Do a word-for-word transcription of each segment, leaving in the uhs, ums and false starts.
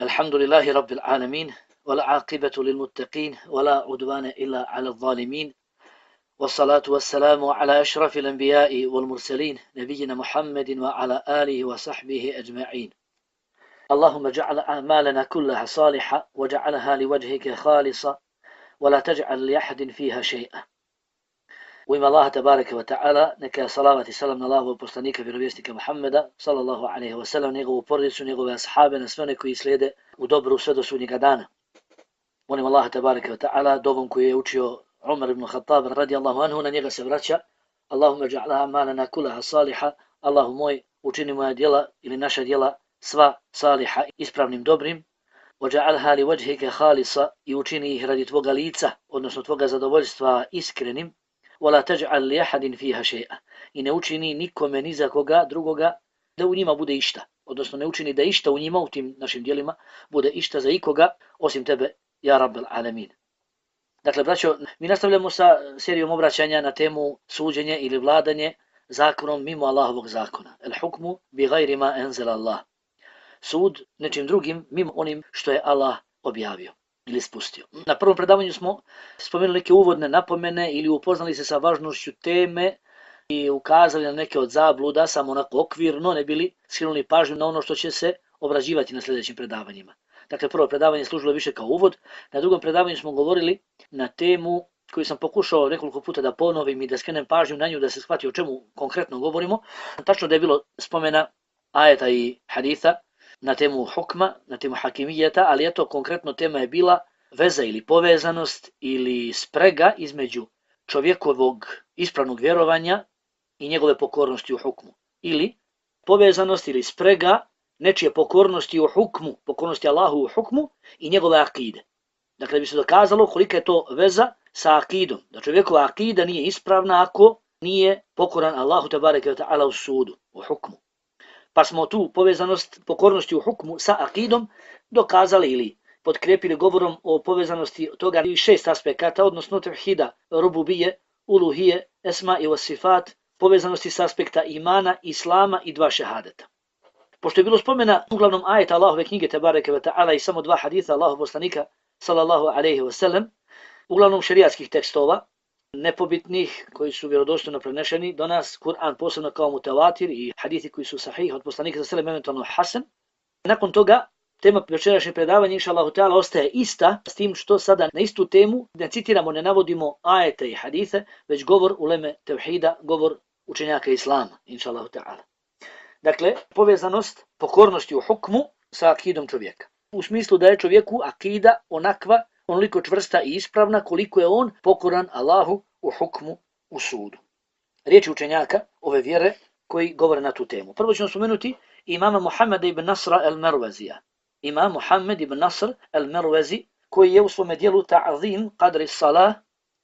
الحمد لله رب العالمين والعاقبة للمتقين ولا عدوان إلا على الظالمين والصلاة والسلام على أشرف الأنبياء والمرسلين نبينا محمد وعلى آله وصحبه أجمعين. اللهم اجعل أعمالنا كلها صالحة وجعلها لوجهك خالصة ولا تجعل لأحد فيها شيئا. U ime Allaha tabaraka wa ta'ala, neka salavat i salam na Allahovog poslanika, vjerovjesnika Muhammeda, sallallahu alaihi wa sallam, njegovu porodicu, njegove ashabe, na sve one koji slijede u dobru sve do sudnjega dana. Molim Allaha tabaraka wa ta'ala, dovom koji je učio Umar ibn Khattab radijallahu anhu, na njega se vraća. Allahumma ja'ala amalana kullaha saliha, Allahu moj, učini moja djela ili naša djela sva saliha, ispravnim, dobrim. وَجَعَلْهَا لِوَجْهِكَ خَالِصًا, i učini ih radi tvoga lica, odnosno tvoga zadovoljstva iskrenim. وَلَا تَجْعَلْ لِيَحَدٍ فِيهَا شَيْئًا, i ne učini nikome ni za koga drugoga da u njima bude išta, odnosno ne učini da išta u njima, u tim našim djelima, bude išta za ikoga osim tebe, ja Rabbel Alamin. Dakle, braćo, mi nastavljamo sa serijom obraćanja na temu suđenje ili vladanje zakonom mimo Allahovog zakona. El hukmu bi gajri ma enzela Allah. Sud nečim drugim mimo onim što je Allah objavio ili spustio. Na prvom predavanju smo spomenuli neke uvodne napomene ili upoznali se sa važnošću teme i ukazali na neke od zabluda, samo onako okvirno, ne bili skrenuli pažnju na ono što će se obrađivati na sljedećim predavanjima. Dakle, prvo predavanje služilo više kao uvod, na drugom predavanju smo govorili na temu koju sam pokušao nekoliko puta da ponovim i da skrenem pažnju na nju da se shvati o čemu konkretno govorimo. Tačno da je bilo spomena ajeta i haditha na temu hukma, na temu hakimijeta, ali eto konkretno tema je bila veza ili povezanost ili sprega između čovjekovog ispravnog vjerovanja i njegove pokornosti u hukmu. Ili povezanost ili sprega nečije pokornosti u hukmu, pokornosti Allahu u hukmu i njegove akide. Dakle, bi se dokazalo kolika je to veza sa akidom. Da čovjekova akida nije ispravna ako nije pokoran Allahu tebareke ve ta'ala u sudu, u hukmu. Pa smo tu povezanost pokornosti u hukmu sa akidom dokazali ili potkrepili govorom o povezanosti toga i šest aspekata, odnosno tevhida, rububije, uluhije, esma i vasifat, povezanosti s aspekta imana, islama i dva šehadeta. Pošto je bilo spomena uglavnom ajeta Allahove knjige tebareke ve ta'ala i samo dva haditha Allahov poslanika sallallahu alejhi ve sellem, uglavnom šerijatskih tekstova, nepobitnih, koji su vjerodostojno prenešeni do nas, Kur'an posebno kao mutawatir i hadithi koji su sahih od poslanika sallallahu alejhi ve sellem, eventualno hasan. Nakon toga tema večerašnjeg predavanja inshallah ta'ala ostaje ista, s tim što sada na istu temu ne citiramo, ne navodimo ajete i hadise, već govor uleme tevhida, govor učenjaka islama inshallah ta'ala. Dakle, povezanost pokornosti u hukmu sa akidom čovjeka. U smislu da je čovjeku akida onakva, onoliko čvrsta i ispravna koliko je on pokoran Allahu u hukmu, u sudu. Riječi učenjaka ove vjere koji govore na tu temu. Prvo ćemo spomenuti imama Muhammeda ibn Nasra al-Marwazija. Imam Muhammed ibn Nasr al-Marwazi, koji je u svome dijelu Ta'zim Qadri Salah,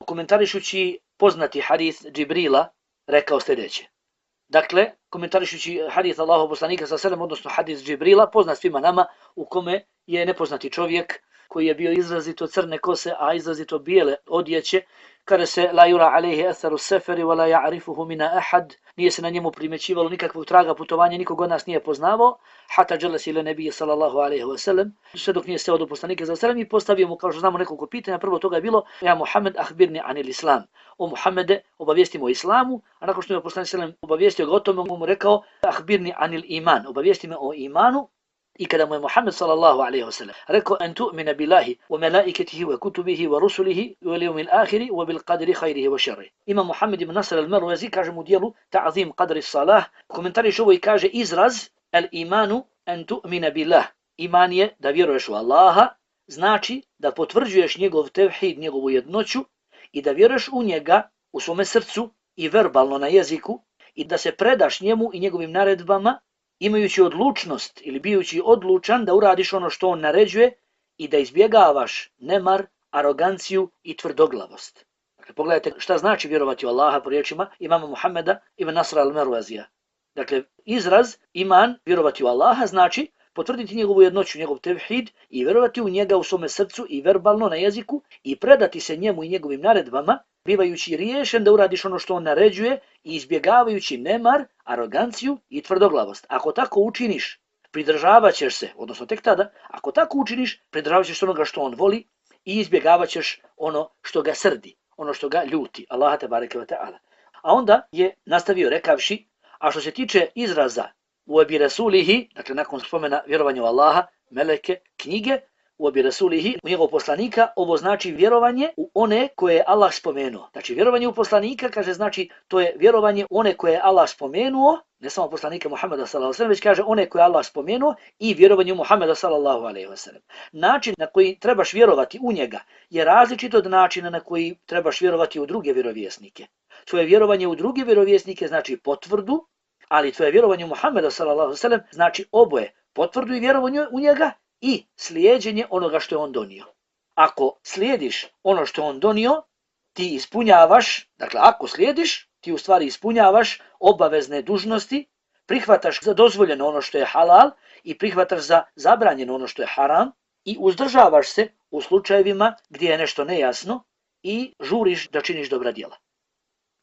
komentarišući poznati hadith Džibrila, rekao sljedeće. Dakle, komentarišući hadith Allahov poslanika sallallahu alejhi ve sellem, odnosno hadith Džibrila, poznat svima nama, u kome je nepoznati čovjek koji je bio izrazito crne kose, a izrazito bijele odjeće, kada se la yura alayhi atharu safari wa la ya'rifuhu min ahad, nije se na njemu primjećivalo nikakvog traga putovanja, nikog od nas nije poznavao, hatta jalasa ila nabiyyi sallallahu alejhi ve sellem, sve dok nije seo do poslanika sallallahu alejhi ve sellem i postavio mu, kao što znamo, nekoliko pitanja. Prvo toga je bilo: ja Muhammed, akhbirni anil islam. O Muhammede, obavijesti me o islamu. A nakon što je poslanik sallallahu alejhi ve sellem obavijestio ga o tome, mu rekao: akhbirni anil iman, obavijesti me o imanu. I kada mu je Muhammed sallallahu alejhi ve sellem rekao: an tu'mina billahi wa malaikatihi wa kutubihi wa rusulihi wal yawmil akhir wa bil qadri khairihi wa sharrihi. Imam Muhammed ibn Nasr al-Marwazi kaže mu dijelu Ta'zim Qadri Salah, komentariše ovo i kaže: izraz al-imanu an tu'mina billah, iman je da vjeruješ u Allaha, znači da potvrđuješ njegov tevhid, njegovu jednoću i da vjeruješ u njega u svome srcu i verbalno na jeziku i da se predaš njemu i njegovim naredbama, imajući odlučnost ili bijući odlučan da uradiš ono što on naređuje i da izbjegavaš nemar, aroganciju i tvrdoglavost. Dakle, pogledajte šta znači vjerovati u Allaha po riječima imama Muhammeda ibn Nasra al-Marwazija. Dakle, izraz iman, vjerovati u Allaha, znači potvrditi njegovu jednoću, njegov tevhid i vjerovati u njega u svome srcu i verbalno na jeziku i predati se njemu i njegovim naredbama, bivajući riješen da uradiš ono što on naređuje i izbjegavajući nemar, aroganciju i tvrdoglavost. Ako tako učiniš, pridržavat ćeš se, odnosno tek tada, ako tako učiniš, pridržavat ćeš onoga što on voli i izbjegavat ćeš ono što ga srdi, ono što ga ljuti. Allaha tebareke ve ta'ala. A onda je nastavio rekavši, a što se tiče izraza u ebi rasulihi, dakle nakon spomena vjerovanja u Allaha, meleke, knjige, u ebi rasulihi, u njegov poslanika, ovo znači vjerovanje u one koje je Allah spomenuo. Znači vjerovanje u poslanika, kaže, znači to je vjerovanje u one koje je Allah spomenuo, ne samo poslanika Muhammeda sallallahu alejhi ve sellem, već kaže one koje je Allah spomenuo i vjerovanje u Muhammeda sallallahu alejhi ve sellem. Način na koji trebaš vjerovati u njega je različit od načina na koji trebaš vjerovati u druge vjerovjesnike. Tvoje vjerovanje u druge vjerovjesnike znači potvrdu, ali tvoje vjerovanje u Muhammeda sallallahu alejhi ve sellem znači oboje, potvrdu i vjerovanje u njega i slijeđenje onoga što je on donio. Ako slijediš ono što je on donio, ti ispunjavaš, dakle ako slijediš, ti u stvari ispunjavaš obavezne dužnosti, prihvataš za dozvoljeno ono što je halal i prihvataš za zabranjeno ono što je haram i uzdržavaš se u slučajevima gdje je nešto nejasno i žuriš da činiš dobra djela.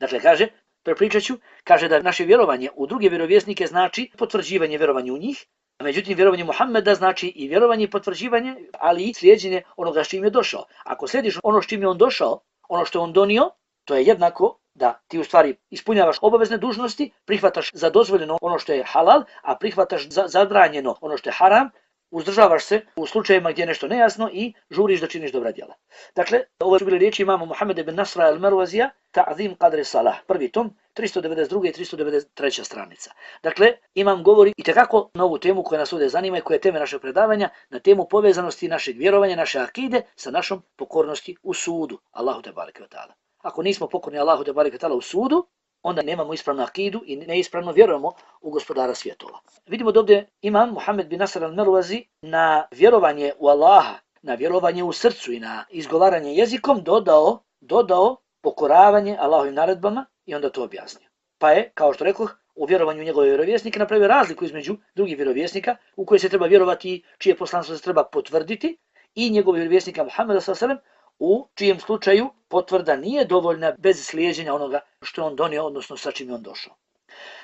Dakle, kaže, prepričat ću, kaže da naše vjerovanje u druge vjerovjesnike znači potvrđivanje vjerovanja u njih, a međutim vjerovanje Muhammeda znači i vjerovanje i potvrđivanje, ali i slijeđenje onoga s čim je došao. Ako slijediš ono s čim je on došao, ono što je on donio, to je jednako da ti u stvari ispunjavaš obavezne dužnosti, prihvataš za dozvoljeno ono što je halal, a prihvataš za zabranjeno ono što je haram, uzdržavaš se u slučajevima gdje je nešto nejasno i žuriš da činiš dobra djela. Dakle, ovo su bile riječi imama Muhammed ibn Nasra al-Marwazija, Ta'zim Qadri Salah, prvi tom, tristo devedeset druga i tristo devedeset treća stranica. Dakle, imam govori i tekako na ovu temu koja nas ovdje zanima i koja je teme našeg predavanja, na temu povezanosti našeg vjerovanja, naše akide sa našom pokornosti u sudu. Allahu te bareke ve ta'ala. Ako nismo pokorni Allahu te bareke ve ta'ala u sudu, onda nemamo ispravnu akidu i neispravno vjerujemo u gospodara svjetova. Vidimo da ovdje imam Muhammed bin Nasr al-Marwazi na vjerovanje u Allaha, na vjerovanje u srcu i na izgovaranje jezikom dodao, dodao pokoravanje Allahovim naredbama i onda to objasnio. Pa je, kao što rekoh, u vjerovanju njegove vjerovjesnike napravio razliku između drugih vjerovjesnika u koje se treba vjerovati i čije poslanstvo se treba potvrditi i njegovog vjerovjesnika Muhammeda sallallahu alejhi ve sellem, u čijem slučaju potvrda nije dovoljna bez slijeđenja onoga što je on donio, odnosno sa čim je on došao.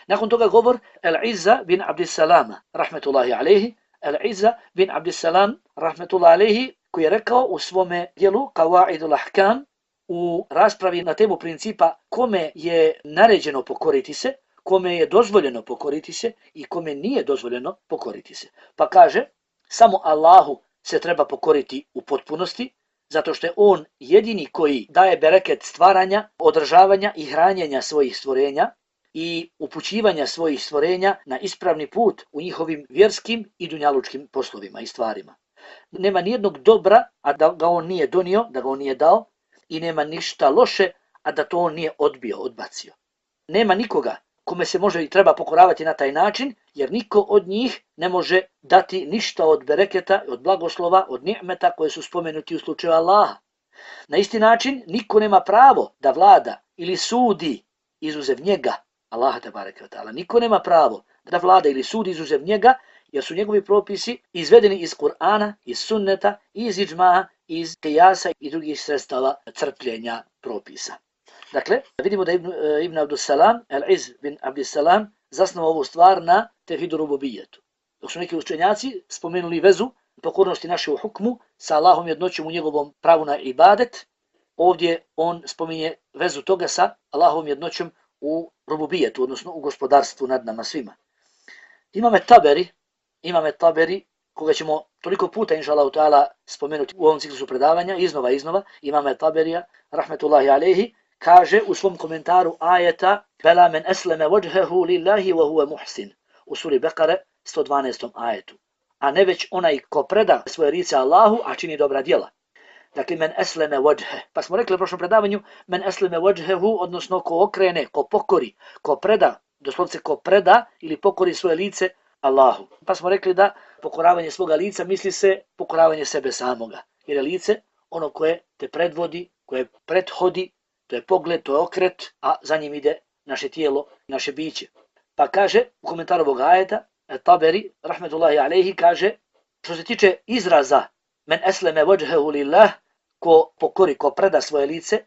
Nakon toga govor Al-Izza bin Abdissalama, rahmetullahi alejhi, Al-Izza bin Abdissalam, rahmetullahi alejhi, koji je rekao u svome dijelu Qawaidul Ahkam, u raspravi na temu principa kome je naređeno pokoriti se, kome je dozvoljeno pokoriti se i kome nije dozvoljeno pokoriti se. Pa kaže, samo Allahu se treba pokoriti u potpunosti, zato što je on jedini koji daje bereket stvaranja, održavanja i hranjenja svojih stvorenja i upućivanja svojih stvorenja na ispravni put u njihovim vjerskim i dunjalučkim poslovima i stvarima. Nema nijednog dobra, a da ga on nije donio, da ga on nije dao, i nema ništa loše, a da to on nije odbio, odbacio. Nema nikoga kome se može i treba pokoravati na taj način, jer niko od njih ne može dati ništa od bereketa, od blagoslova, od ni'meta koje su spomenuti u slučaju Allaha. Na isti način, niko nema pravo da vlada ili sudi izuzev njega, Allaha te bareke ve ta'ala. Niko nema pravo da vlada ili sudi izuzev njega, jer su njegovi propisi izvedeni iz Kur'ana, iz sunneta, iz iđma'a, iz kijasa i drugih sredstava crpljenja propisa. Dakle, vidimo da Ibn, Ibn Abdussalam, Al-Iz bin Abdissalam, zasnovao ovu stvar na tevhidu rububijetu. Dok su neki učenjaci spomenuli vezu pokornosti naše u hukmu sa Allahom jednoćom u njegovom pravu na ibadet, ovdje on spominje vezu toga sa Allahom jednoćom u rububijetu, odnosno u gospodarstvu nad nama svima. Imame Taberi, imame Taberi, koga ćemo toliko puta, inša Allahu ta'ala, spomenuti u ovom ciklusu predavanja, iznova, iznova, imame Taberija, rahmetullahi alejhi, kaže u svom komentaru ajeta Bela men esleme wajhehu lillahi wa huwa muhsin u suri Bekare sto dvanaestom ajetu. A ne već onaj ko preda svoje lice Allahu, a čini dobra djela. Dakle, men esleme wajhe. Pa smo rekli u prošlom predavanju, men esleme wajhehu, odnosno ko okrene, ko pokori, ko preda, doslovce ko preda ili pokori svoje lice Allahu. Pa smo rekli da pokoravanje svoga lica misli se pokoravanje sebe samoga. Jer je lice ono koje te predvodi, koje prethodi, to je pogled, to je okret, a za njim ide naše tijelo, naše biće. Pa kaže u komentaru ovog ajeta, Taberi, rahmetullahi alejhi, kaže, što se tiče izraza men esleme wajhehu lillah, ko pokori, ko preda svoje lice,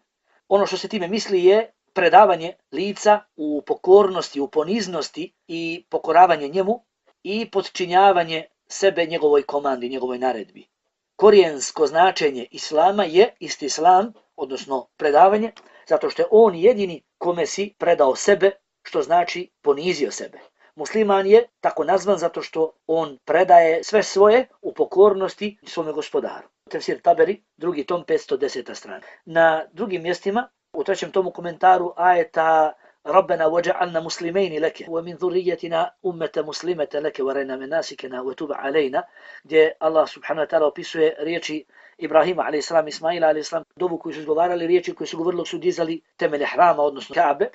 ono što se time misli je predavanje lica u pokornosti, u poniznosti i pokoravanje njemu i podčinjavanje sebe njegovoj komandi, njegovoj naredbi. Korijensko značenje islama je istislam, odnosno predavanje, zato što je on jedini kome si predao sebe, što znači ponizio sebe. Musliman je tako nazvan zato što on predaje sve svoje u pokornosti svome gospodaru. Tefsir Taberi, drugi tom, petsto deseta strana. Na drugim mjestima, u trećem tomu komentaru ajeta Rabbena waj'alna muslimaini leke wa min dhurriyyatina ummatan muslimatan leke wa arina manasikana wa tub alayna, gdje Allah subhanahu wa ta'ala opisuje riječi Ibrahima alejhi selam, Ismaila alejhi selam, dovu koju su izgovarali, riječi koje su govorili su dizali temelje hrama, odnosno Kaabe.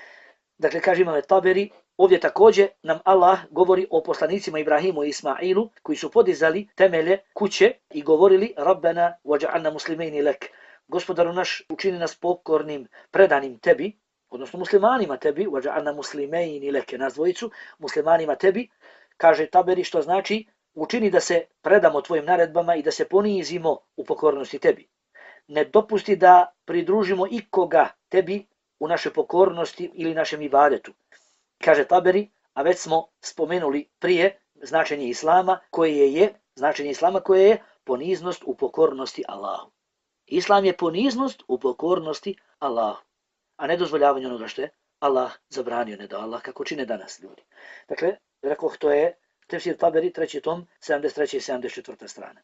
Dakle, kaže imam Taberi, ovdje također nam Allah govori o poslanicima Ibrahimu i Ismailu koji su podizali temelje kuće i govorili Rabbena waj'alna muslimaini lek. Gospodaru naš, učini nas pokornim, predanim tebi, odnosno muslimanima tebi, waj'alna muslimaini leke, nas dvojicu, muslimanima tebi, kaže Taberi, što znači učini da se predamo tvojim naredbama i da se ponizimo u pokornosti tebi. Ne dopusti da pridružimo ikoga tebi u našoj pokornosti ili našem ibadetu. Kaže Taberi, a već smo spomenuli prije značenje islama koje je, značenje islama koje je poniznost u pokornosti Allahu. Islam je poniznost u pokornosti Allahu, a ne dozvoljavanje onoga što je Allah zabranio, ne da Allah, kako čine danas ljudi. Dakle, rekoh, to je Tefsir Taberi, treći tom, sedamdeset treća i sedamdeset četvrta strana.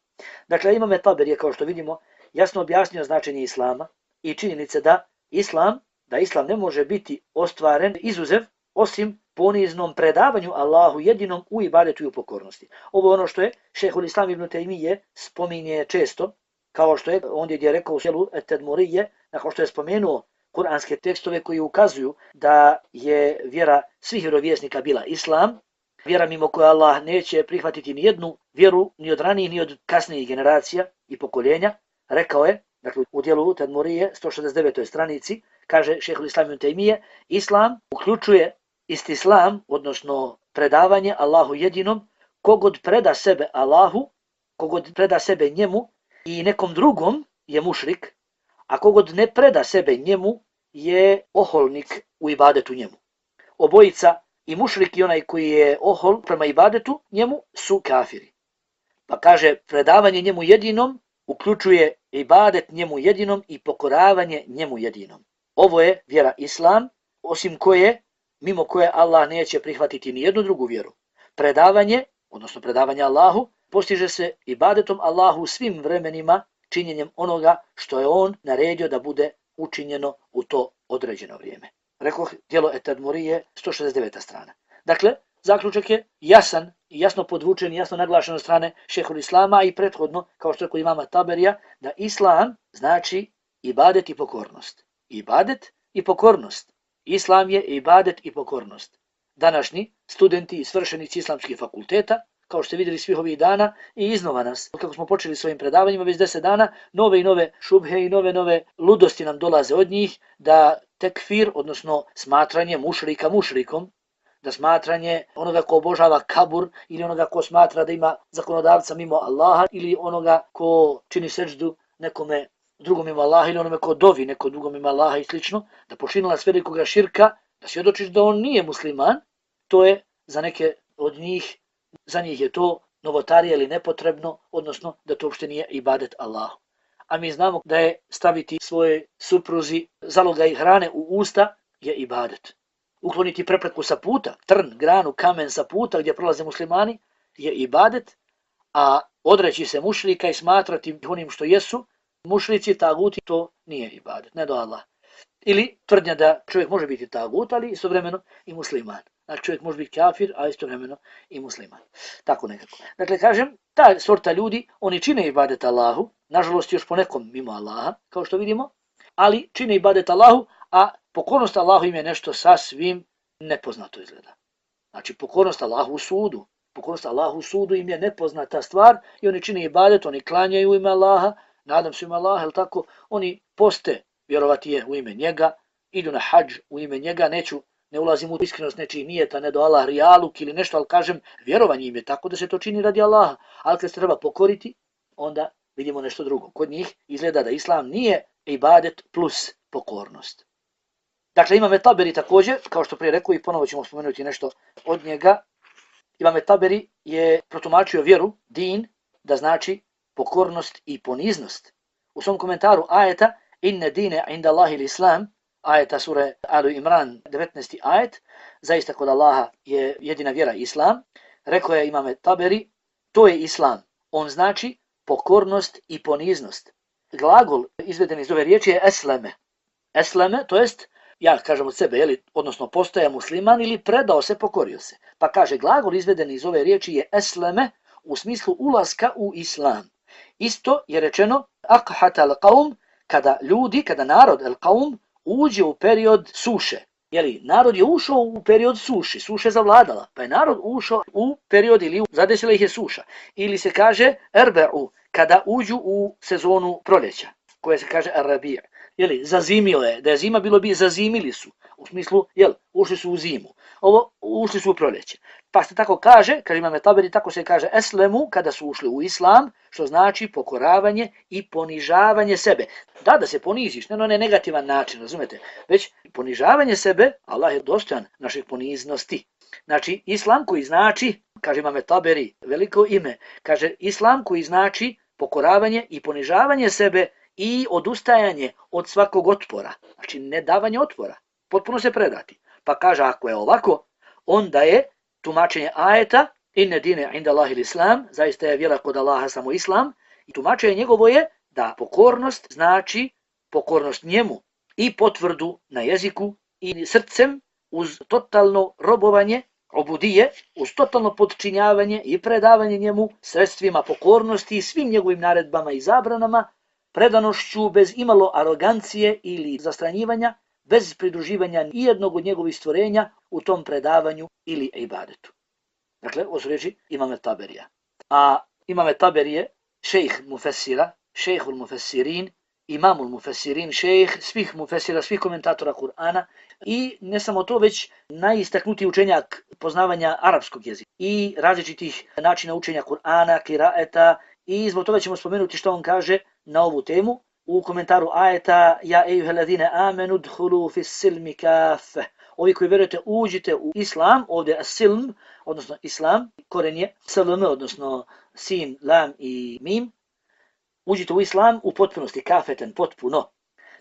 Dakle, imame Taberi, kao što vidimo, jasno objasnio značenje islama i činjenice da islam, da islam ne može biti ostvaren izuzev osim poniznom predavanju Allahu jedinom u ibadetu i u pokornosti. Ovo je ono što je Šejhul Islam ibn Tejmije spominje često, kao što je ondje gdje je rekao u sjelu Et-Tedmurije, nakon što je spomenuo kuranske tekstove koji ukazuju da je vjera svih vjerovjesnika bila islam, vjera mimo koje Allah neće prihvatiti ni jednu vjeru ni od ranijih ni od kasnijih generacija i pokoljenja, rekao je, dakle u dijelu Tedmurije, sto šezdeset devetoj stranici, kaže Šejhul Islam ibn Tejmije, islam uključuje istislam, odnosno predavanje Allahu jedinom, kogod preda sebe Allahu, kogod preda sebe njemu i nekom drugom je mušrik, a kogod ne preda sebe njemu je oholnik u ibadetu njemu. Obojica, i mušrik i onaj koji je ohol prema ibadetu njemu, su kafiri. Pa kaže, predavanje njemu jedinom uključuje ibadet njemu jedinom i pokoravanje njemu jedinom. Ovo je vjera islam, osim koje, mimo koje Allah neće prihvatiti ni jednu drugu vjeru. Predavanje, odnosno predavanje Allahu, postiže se ibadetom Allahu u svim vremenima, činjenjem onoga što je on naredio da bude učinjeno u to određeno vrijeme. Rekoh, djelo Et-Tedmurije, sto šezdeset deveta strana. Dakle, zaključak je jasan i jasno podvučen i jasno naglašen od strane Šejhul Islama i prethodno, kao što je kod imama Taberija, da islam znači ibadet i pokornost. Ibadet i pokornost. Islam je ibadet i pokornost. Današnji studenti i svršenici islamskih fakulteta, kao što ste vidjeli svih ovih dana, i iznova nas, kako smo počeli svojim predavanjima, već deset dana, nove i nove šubhe i nove nove ludosti nam dolaze od njih, da tekfir, odnosno smatranje mušrika mušrikom, da smatranje onoga ko obožava kabur ili onoga ko smatra da ima zakonodavca mimo Allaha ili onoga ko čini seđdu nekome drugom mimo Allaha ili onome ko dovi neko drugom mimo Allaha i slično, da počinilac velikoga širka, da svjedočiš da on nije musliman, to je za neke od njih, za njih je to novotarija ili nepotrebno, odnosno da to uopšte nije ibadet Allahu. A mi znamo da je staviti svoje supruzi zalogaj hrane u usta je ibadet. Ukloniti prepreku sa puta, trn, granu, kamen sa puta gdje prolaze muslimani je ibadet, a odreći se mušrika i smatrati onim što jesu, mušrici, taguti, to nije ibadet, ne do Allah. Ili tvrdnja da čovjek može biti tagut, ali istovremeno i musliman. Znači čovjek može biti kafir, a istovremeno i musliman. Tako nekako. Dakle, kažem, ta sorta ljudi, oni čine ibadet Allahu, nažalost još ponekom mimo Allaha, kao što vidimo, ali čine ibadet Allahu, a pokornost Allahu im je nešto sasvim nepoznato izgleda. Znači, pokornost Allahu u sudu. Pokornost Allahu u sudu im je nepoznata stvar i oni čine ibadet, oni klanjaju u ime Allaha, nadam se u ime Allaha, ili tako, oni poste, vjerovati je u ime njega, idu na hadž u ime njega, neću, ne ulazim u iskrenost nečijih nijeta, ne do Allah rijaluk ili nešto, ali kažem, vjerovanje im je tako da se to čini radi Allaha, ali kad se treba pokoriti, onda vidimo nešto drugo. Kod njih izgleda da islam nije ibadet plus pokornost. Dakle, imame Taberi također, kao što prije rekao i ponovo ćemo spomenuti nešto od njega, Imam Taberi je protumačio vjeru, din, da znači pokornost i poniznost. U svom komentaru ajeta inne dine inda Allahi l'islam, ajeta sure Alu Imran, devetnaesti ajet, zaista kod Allaha je jedina vjera islam, rekao je Imam Taberi, to je islam. On znači pokornost i poniznost. Glagol izveden iz ove riječi je esleme. Esleme, to jest, ja kažem od sebe, jeli, odnosno postaje musliman ili predao se, pokorio se. Pa kaže, glagol izveden iz ove riječi je esleme u smislu ulaska u islam. Isto je rečeno aqhat al-qaum, kada ljudi, kada narod al-qaum uđe u period suše. Jeli, narod je ušao u period suše, suše zavladala, pa je narod ušao u period ili zadesila ih je suša. Ili se kaže erbe'u, kada uđu u sezonu proljeća, koje se kaže ar-rabi'. Jeli, zazimilo je, da je zima bilo bi zazimili su, u smislu, jel, ušli su u zimu. Ovo, ušli su u proljeće. Pa se tako kaže, kaže Imam Taberi, tako se kaže eslemu, kada su ušli u islam, što znači pokoravanje i ponižavanje sebe. Da, da se poniziš, ne na onaj negativan način, razumete, već ponižavanje sebe, Allah je dostojan naših poniznosti. Znači, islam koji znači, kaže Imam Taberi, veliko ime, kaže islam koji znači pokoravanje i ponižavanje sebe i odustajanje od svakog otpora. Znači, ne davanje otpora, potpuno se predati. Pa kaže, ako je ovako, onda je tumačenje ajeta inne dine inda Allahi l'islam, zaista je vjera kod Allaha samo islam, i tumačenje njegovo je da pokornost znači pokornost njemu i potvrdu na jeziku i srcem uz totalno robovanje, obudije, uz totalno podčinjavanje i predavanje njemu sredstvima pokornosti i svim njegovim naredbama i zabranama, predanošću bez imalo arogancije ili zastranjivanja, bez pridruživanja nijednog od njegovih stvorenja u tom predavanju ili ibadetu. Dakle, ovo su riječi Imam Taberija. A Imam Taberije, šejh mufessira, šejhul mufessirin, imamul mufessirin, šejh svih mufessira, svih komentatora Kur'ana i ne samo to, već najistaknutiji učenjak poznavanja arapskog jezika i različitih načina učenja Kur'ana, kiraeta, i zbog toga ćemo spomenuti što on kaže na ovu temu u komentaru ajeta ja ejuheladine amenu dhulu fis silmi kafe. Ovi koji vjerujete uđite u islam, ovdje as-silm, odnosno islam, koren je slm, odnosno sin, lam i mim. Uđite u islam u potpunosti, kafeten, potpuno.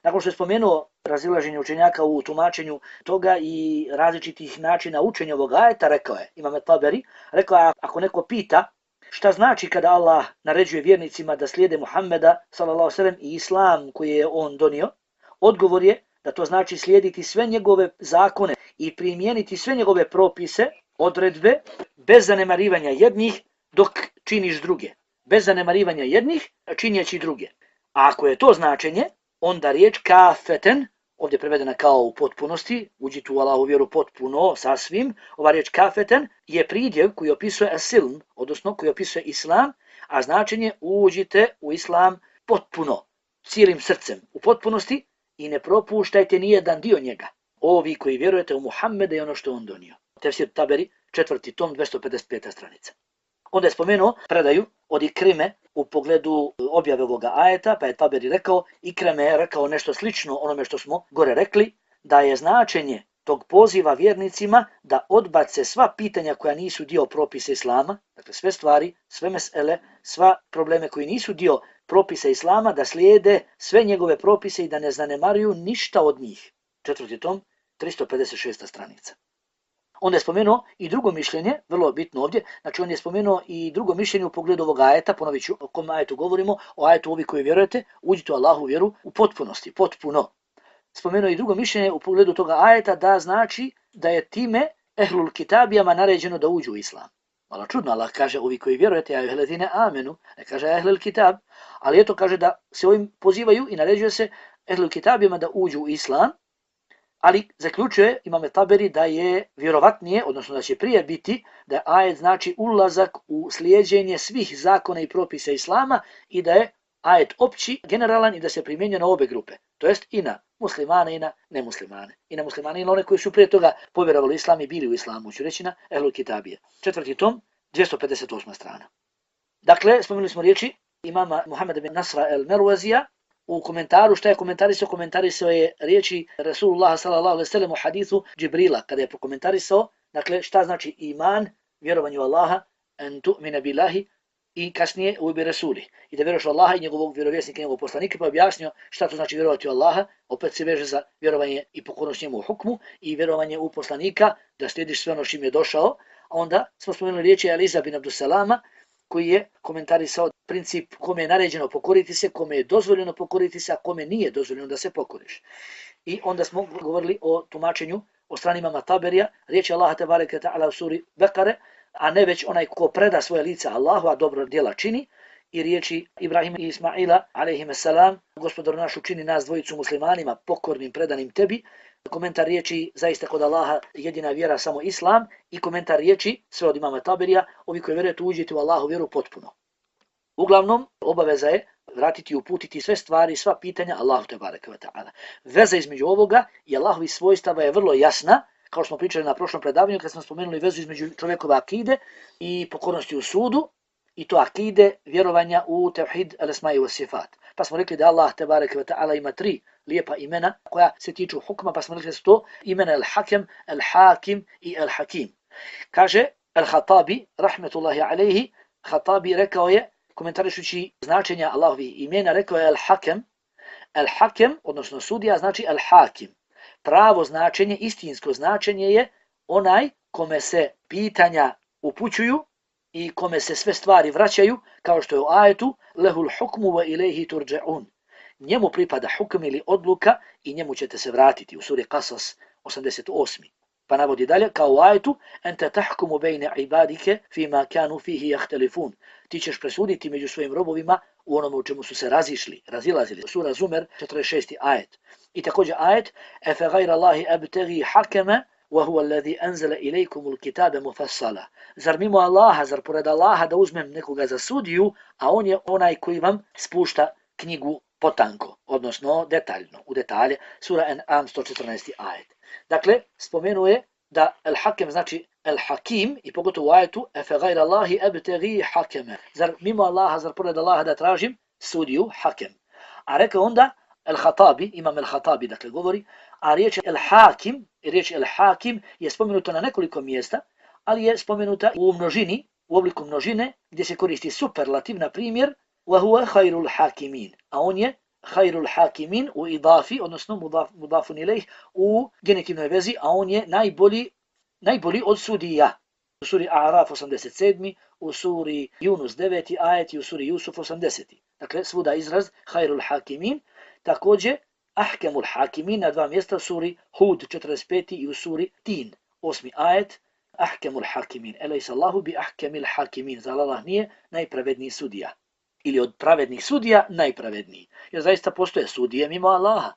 Nakon što je spomenuo razilaženje učenjaka u tumačenju toga i različitih načina učenja ovog ajeta, rekao je, Imam Taberi, rekao je, ako neko pita šta znači kada Allah naređuje vjernicima da slijede Muhammeda sallallahu alejhi ve sellem i islam koji je on donio, odgovor je da to znači slijediti sve njegove zakone i primijeniti sve njegove propise, odredbe, bez zanemarivanja jednih dok činiš druge. Bez zanemarivanja jednih činjeći druge. A ako je to značenje, onda riječ kafeten, ovdje prevedena kao u potpunosti, uđite u Allahu vjeru potpuno, sasvim, ova riječ kafeten je pridjev koji opisuje as-silm, odnosno koji opisuje islam, a značenje uđite u islam potpuno, cijelim srcem, u potpunosti i ne propuštajte nijedan dio njega. Ovi koji vjerujete u Muhammeda i ono što on donio. Tefsir Taberi, četvrti tom, dvjesto pedeset peta stranica. Onda je spomenuo predaju od Ikrime u pogledu objave ovoga ajeta, pa je Taberi rekao, Ikrime je rekao nešto slično onome što smo gore rekli, da je značenje tog poziva vjernicima da odbace sva pitanja koja nisu dio propisa islama, dakle sve stvari, sve mesele, sva probleme koji nisu dio propisa islama, da slijede sve njegove propise i da ne zanemaruju ništa od njih. Četvrti tom, tristo pedeset šesta stranica. Onda je spomenuo i drugo mišljenje, vrlo bitno ovdje, znači on je spomenuo i drugo mišljenje u pogledu ovog ajeta, ponovit ću o kom ajetu govorimo, o ajetu ovi koji vjerujete, uđite u Allahu vjeru u potpunosti, potpuno. Spomenuo i drugo mišljenje u pogledu toga ajeta da znači da je time ehlul kitabijama naređeno da uđu u islam. Malo čudno, Allah kaže ovi koji vjerujete, ja ehlul amenu, ne kaže ehlul kitab, ali eto kaže da se ovim pozivaju i naređuje se ehlul kitabijama da uđu u islam, ali zaključuje Imam Taberi da je vjerovatnije, odnosno da će prije biti, da je ajet znači ulazak u slijeđenje svih zakona i propisa islama i da je ajet opći, generalan i da se primjenjuje na obe grupe. To jest i na muslimane i na nemuslimane. I na muslimane i na one koji su prije toga povjerovali islam i bili u islamu, ću reći na ehlul kitabije. Četvrti tom, dvjesto pedeset osma strana. Dakle, spomenuli smo riječi imama Muhammeda bin Nasra el-Merwazija, u komentaru, šta je komentarisao? Komentarisao je riječi Rasulullah sallallahu alejhi ve sellem u hadithu Džibrila, kada je prokomentarisao, dakle, šta znači iman, vjerovanju Allaha, en tu'mina billahi, i kasnije u bi rasuli. I da vjeruješ u Allaha i njegovog vjerovjesnika i njegovog poslanika, pa objasnio šta to znači vjerovati u Allaha, opet se veže za vjerovanje i pokornost njemu u hukmu i vjerovanje u poslanika, da slijediš sve ono čim je došao. A onda smo spomenuli riječi Aliza bin Abdusalama, koji je komentarisao princip kome je naređeno pokoriti se, kome je dozvoljeno pokoriti se, a kome nije dozvoljeno da se pokoriš. I onda smo govorili o tumačenju o strani imama Taberija, riječi Allaha tebareke ta'ala u suri Bekare, a ne već onaj ko preda svoje lice Allahu, a dobro djela čini, i riječi Ibrahima i Ismaila, alejhimussalam, Gospodar naš učini nas dvojicu muslimanima, pokornim, predanim tebi. Komentar riječi zaista kod Allaha jedina vjera samo Islam, i komentar riječi sve od imama Taberija, ovi koji vjerujete uđite u Allahu vjeru potpuno. Uglavnom, obaveza je vratiti i uputiti sve stvari, sva pitanja Allahu tebareke ve ta'ala. Veza između ovoga i Allahovi svojstava je vrlo jasna, kao što smo pričali na prošlom predavanju kad smo spomenuli vezu između čovjekove akide i pokornosti u sudu, i to akide vjerovanja u tevhid al-asma'i wa sifat. Pa smo rekli da Allah tebareke ve ta'ala ima tri lijepa imena koja se tiču hukma, pa smo rekli da su to imena al-hakem, al-hakim i al-hakim. Kaže al-Hatabi, rahmetullahi alejhi, Hatabi rekao je, komentarišući značenja Allahovih imena, rekao je al-hakem, al-hakem, odnosno sudija, znači al-hakim. Pravo značenje, istinsko značenje je onaj kome se pitanja upućuju i kome se sve stvari vraćaju, kao što je u ajetu lehul hukmu wa ilejhi turđa'un. Njemu pripada hukm ili odluka i njemu ćete se vratiti, u suri Qasas osamdeset osmi. Pa navodi dalje, kao u ajetu ente tahkumu bejne ibadike fima kanu fihi jahtelifun. Ti ćeš presuditi među svojim robovima u onome u čemu su se razišli, razilazili. Sura Zumer, četrdeset šesti ajet. I također ajet efe gajra Allahi abtegi hakeme wa huwa alladhi anzala ilaykumul kitabe mufassala. Zar mimo Allaha, zar pored Allaha da uzmem nekoga za sudiju, a on je onaj koji vam spušta knjigu potanko, odnosno detaljno, u detalje. Sura An'am, sto četrnaesti ajet. Dakle, spomenuje da al-hakem znači al-hakim, i pogotovo u ajetu efe gajra Allahi abtegi hakeme. Zar mimo Allaha, zar pored Allaha da tražim sudiju, hakem. A rekao onda al-Hatabi, imam al-Hatabi, dakle govori, a riječ al-hakim, riječ al-hakim je spomenuta na nekoliko mjesta, ali je spomenuta u množini, u obliku množine, gdje se koristi superlativ, na primjer, wa huwa khairul hakimin, a on je khairul hakimin u idafi, odnosno mudaf, mudafun ilejh, u genitivnoj vezi, a on je najbolji, najbolji od sudija. U suri A'raf osamdeset sedmi, u suri Yunus deveti ajet i u suri Jusuf osamdeseti. Dakle, svuda izraz khairul hakimin. Također, ahkemul hakimin na dva mjesta, u suri Hud četrdeset peti i u suri Tin osmi ajet. Ahkemul hakimin, elejsa Allahu bi ahkemil hakimin, zar Allah nije najpravedniji sudija. Ili od pravednih sudija najpravedniji. Jer zaista postoje sudije mimo Allaha.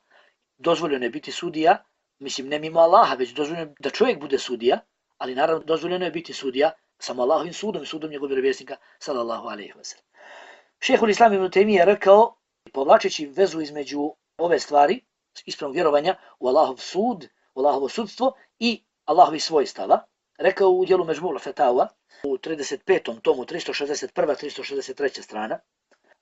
Dozvoljeno je biti sudija, mislim ne mimo Allaha, već dozvoljeno je da čovjek bude sudija, ali naravno dozvoljeno je biti sudija samo Allahovim sudom i sudom njegovog vjerovjesnika sallallahu alejhi ve sellem. Šejhul Islam ibn Tejmije je rekao, povlačeći vezu između ove stvari, ispravnog vjerovanja u Allahov sud, u Allahovo sudstvo i Allahovi svojstava, rekao u dijelu Međmu'ul Fetawa, u trideset petom tomu, tristo šezdeset prva tristo šezdeset treća strana,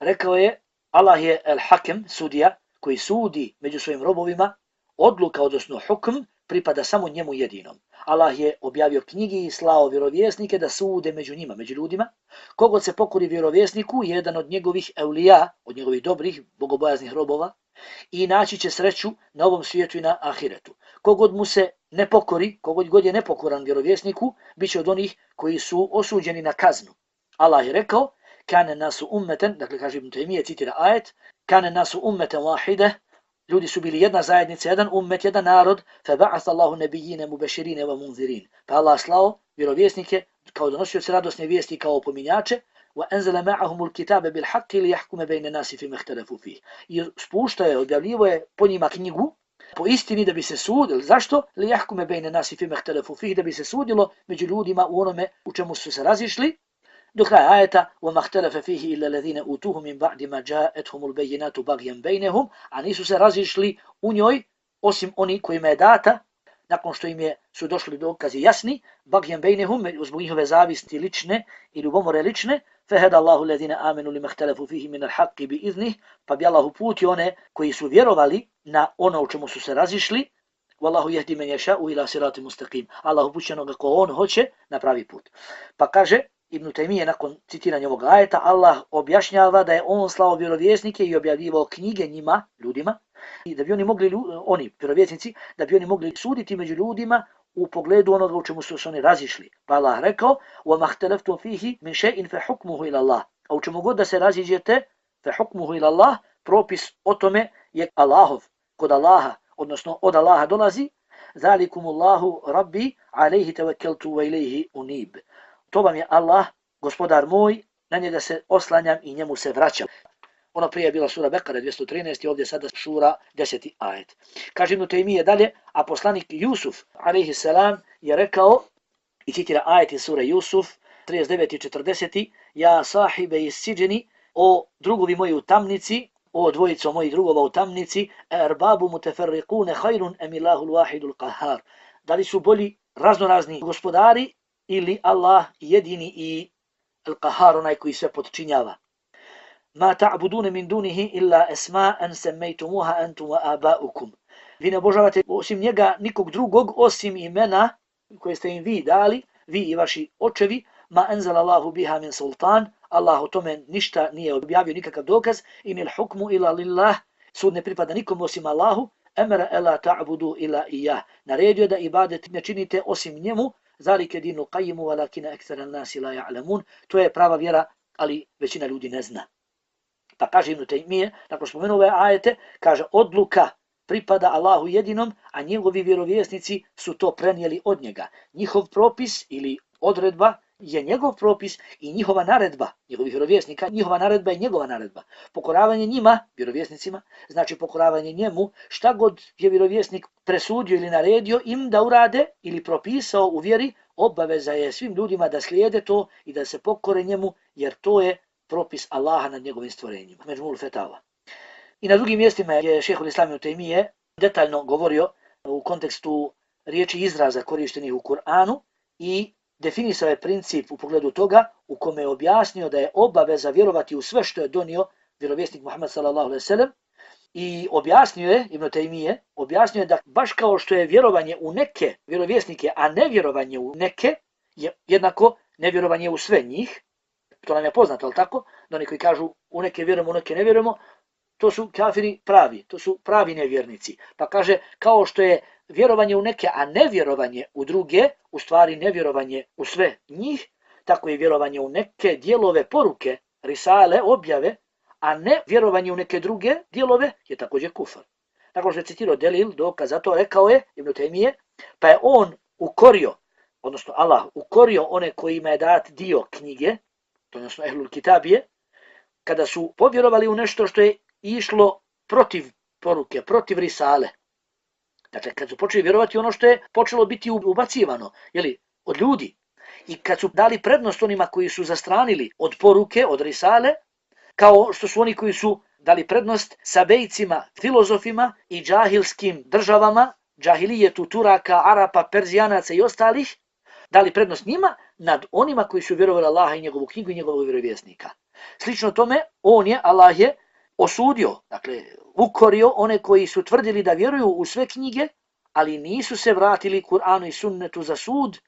rekao je, Allah je el-hakem, sudija, koji sudi među svojim robovima, odluka, odnosno hukm, pripada samo njemu jedinom. Allah je objavio knjigi i slao vjerovjesnike da sude među njima, među ljudima. Kogod se pokori vjerovjesniku, jedan od njegovih eulija, od njegovih dobrih, bogobojaznih robova, i naći će sreću na ovom svijetu i na ahiretu. Kogod mu se ne pokori, kogod god je nepokoran vjerovjesniku, bit će od onih koji su osuđeni na kaznu. Allah je rekao, kane nasu ummeten, dakle kaže Ibn Tejmije, citira ajet, kane nasu ummeten wahide, ljudi su bili jedna zajednica, jedan ummet, jedan narod, fa ba'atha Allahu nabiyine mubashirine wa munzirin. Pa Allah slao vjerovjesnike kao donosioci radosne vijesti, kao opominjače, wa anzala ma'ahumul kitabe bil haqqi li yahkuma bayna nasi fima ikhtalafu fihi. I spuštao je, objavljivo je po njima knjigu, po istini da bi se sudilo. Zašto? Li yahkuma bayna nasi fima ikhtalafu fihi, da bi se sudilo među ljudima u onome u čemu su se razišli. Do kraja ajeta وَمَا اخْتَلَفَ فِيهِ إِلَّا الَّذِينَ أُوتُوهُ مِنْ بَعْدِ مَا جَاءَتْهُمُ الْبَيِّنَاتُ بَغْيًا بَيْنَهُمْ, a nisu se razišli u njoj osim oni kojima je data nakon što im je su došli dokazi jasni, بَغْيًا بَيْنَهُمْ, zbog njihove zavisti lične i ljubomore lične, فَهَدَ اللَّهُ الَّذِينَ آمَنُوا لِمَا اخْتَلَفُوا فِيهِ مِنَ الْحَقِّ بِإِذْنِهِ, pa bi Allah uputio one koji su vjerovali na ono u čemu su se razišli Wallahu yahdi man yasha'u ila siratin mustaqim. Allah upućuje onoga ko on hoće na pravi put. Pa kaže Ibn Taymije nakon citiranja ovog ajeta, Allah objašnjava da je on slao vjerovjesnike i objavljivao knjige njima, ljudima, i da bi oni mogli, oni, vjerovjesnici, da bi oni mogli suditi među ljudima u pogledu onoga u čemu su se oni razišli. Pa Allah rekao: وَمَا اخْتَلَفْتُمْ فِيهِ مِنْ شَيْءٍ فَحُكْمُهُ إِلَى اللَّهِ. A u čemu god da se raziđete, فَحُكْمُهُ إِلَى اللَّهِ, propis o tome je Allahov, kod Allaha, odnosno od Allaha dolazi. ذَلِكُمُ اللَّهُ رَبِّي عَلَيْهِ تَوَكَّلْتُ وَإِلَيْهِ أُنِيبُ. To vam je Allah, gospodar moj, na njega se oslanjam i njemu se vraćam. Ono prije je bila sura Bekare dvjesto trinaest i ovdje sada šura deseti ajet. Kaže Ibn Taymije dalje, a poslanik Jusuf, alejhi selam, je rekao, i citira ajet iz sure Jusuf, trideset deveti i četrdeseti, ja sahibe iz siđeni, o drugovi moji u tamnici, o dvojico mojih drugova u tamnici, erbabu muteferriqune hajrun emilahul wahidul qahar. Da li su bolji raznorazni gospodari ili Allah jedini i al-qahar, onaj koji sve podčinjava. Ma ta'budune min dunihi illa esma'an semmejtumuha antum wa aba'ukum. Vi ne obožavate osim njega nikog drugog osim imena koje ste im vi dali, vi i vaši očevi. Ma enzala Allahu biha min sultan. Allah o tome ništa nije objavio, nikakav dokaz. Inil hukmu ila lillah. Sud ne pripada nikom osim Allahu. Emera ela ta'budu ila iyah. Naredio da ibadet ne činite osim njemu. Zalike dinu qayimu walakina ekthara nasi la ya'lamun. To je prava vjera, ali većina ljudi ne zna. Pa kaže Ibn Taymije, nakon spomenu ove ajete, kaže odluka pripada Allahu jedinom, a njegovi vjerovjesnici su to prenijeli od njega. Njihov propis ili odredba je njegov propis i njihova naredba, njegovih vjerovjesnika, njihova naredba je njegova naredba. Pokoravanje njima, vjerovjesnicima, znači pokoravanje njemu, šta god je vjerovjesnik presudio ili naredio im da urade ili propisao u vjeri, obaveza je svim ljudima da slijede to i da se pokore njemu, jer to je propis Allaha nad njegovim stvorenjima. Međmul fetava. I na drugim mjestima je šejhul Islam Ibn Taymije detaljno govorio u kontekstu riječi izraza korištenih u Kur'anu i definisao je princip u pogledu toga u kome je objasnio da je obaveza vjerovati u sve što je donio vjerovjesnik Muhammed sallallahu alejhi ve sellem i objasnio je Ibn Taymije, objasnio je da baš kao što je vjerovanje u neke vjerovjesnike, a nevjerovanje u neke je jednako nevjerovanje u sve njih. To nam je poznato, ali tako? Da oni koji kažu u neke vjerujemo, u neke ne vjerujemo, to su kafiri pravi, to su pravi nevjernici. Pa kaže, kao što je vjerovanje u neke, a nevjerovanje u druge, u stvari nevjerovanje u sve njih, tako je vjerovanje u neke dijelove poruke, risale, objave, a ne vjerovanje u neke druge dijelove je također kufar. Tako što je citirao delil, dokaz za to, rekao je Ibn Taymije, pa je on ukorio, odnosno Allah ukorio one kojima je dat dio knjige, odnosno ehlul kitabije, kada su povjerovali u nešto što je išlo protiv poruke, protiv risale. Dakle, kad su počeli vjerovati ono što je počelo biti ubacivano, jeli, od ljudi, i kad su dali prednost onima koji su zastranili od poruke, od risale, kao što su oni koji su dali prednost sabejcima, filozofima i džahilskim državama, džahilijetu, Turaka, Arapa, Perzijanaca i ostalih, dali prednost njima nad onima koji su vjerovali Allaha i njegovu knjigu i njegovog vjerovjesnika. Slično tome, on je, Allah je osudio, dakle, ukorio one koji su tvrdili da vjeruju u sve knjige, ali nisu se vratili Kur'anu i sunnetu za sud,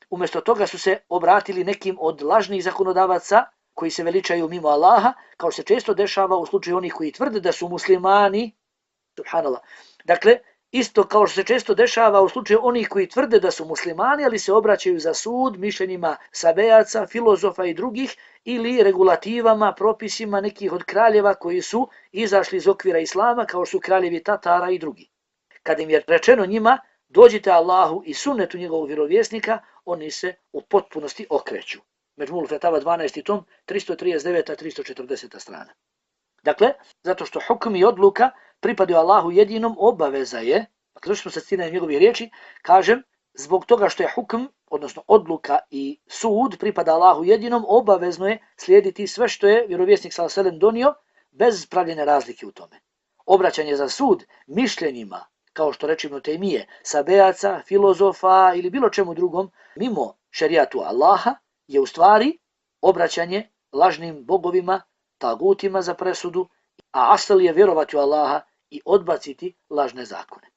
umjesto toga su se obratili nekim od lažnih zakonodavaca koji se veličaju mimo Allaha, kao se često dešava u slučaju onih koji tvrde da su muslimani, subhanallah. Dakle, isto kao što se često dešava u slučaju onih koji tvrde da su muslimani, ali se obraćaju za sud mišljenjima sabejaca, filozofa i drugih, ili regulativama, propisima nekih od kraljeva koji su izašli iz okvira islama, kao su kraljevi Tatara i drugi. Kad im je rečeno njima, dođite Allahu i sunnetu njegovog vjerovjesnika, oni se u potpunosti okreću. Međmul fetava dvanaesti tom, tristo trideset deveta tristo četrdeseta strana. Dakle, zato što hukm i odluka pripadaju Allahu jedinom, obaveza je, dakle, što smo se citirali njegovi riječi, kažem, zbog toga što je hukm, odnosno odluka i sud pripada Allahu jedinom, obavezno je slijediti sve što je vjerovjesnik sallallahu alejhi ve sellem donio, bez pravljene razlike u tome. Obraćanje za sud mišljenjima, kao što reče Ibn Taymije, sabejaca, filozofa ili bilo čemu drugom, mimo šerijatu Allaha, je u stvari obraćanje lažnim bogovima, tagutima za presudu, a asal je vjerovati u Allaha i odbaciti lažne zakone.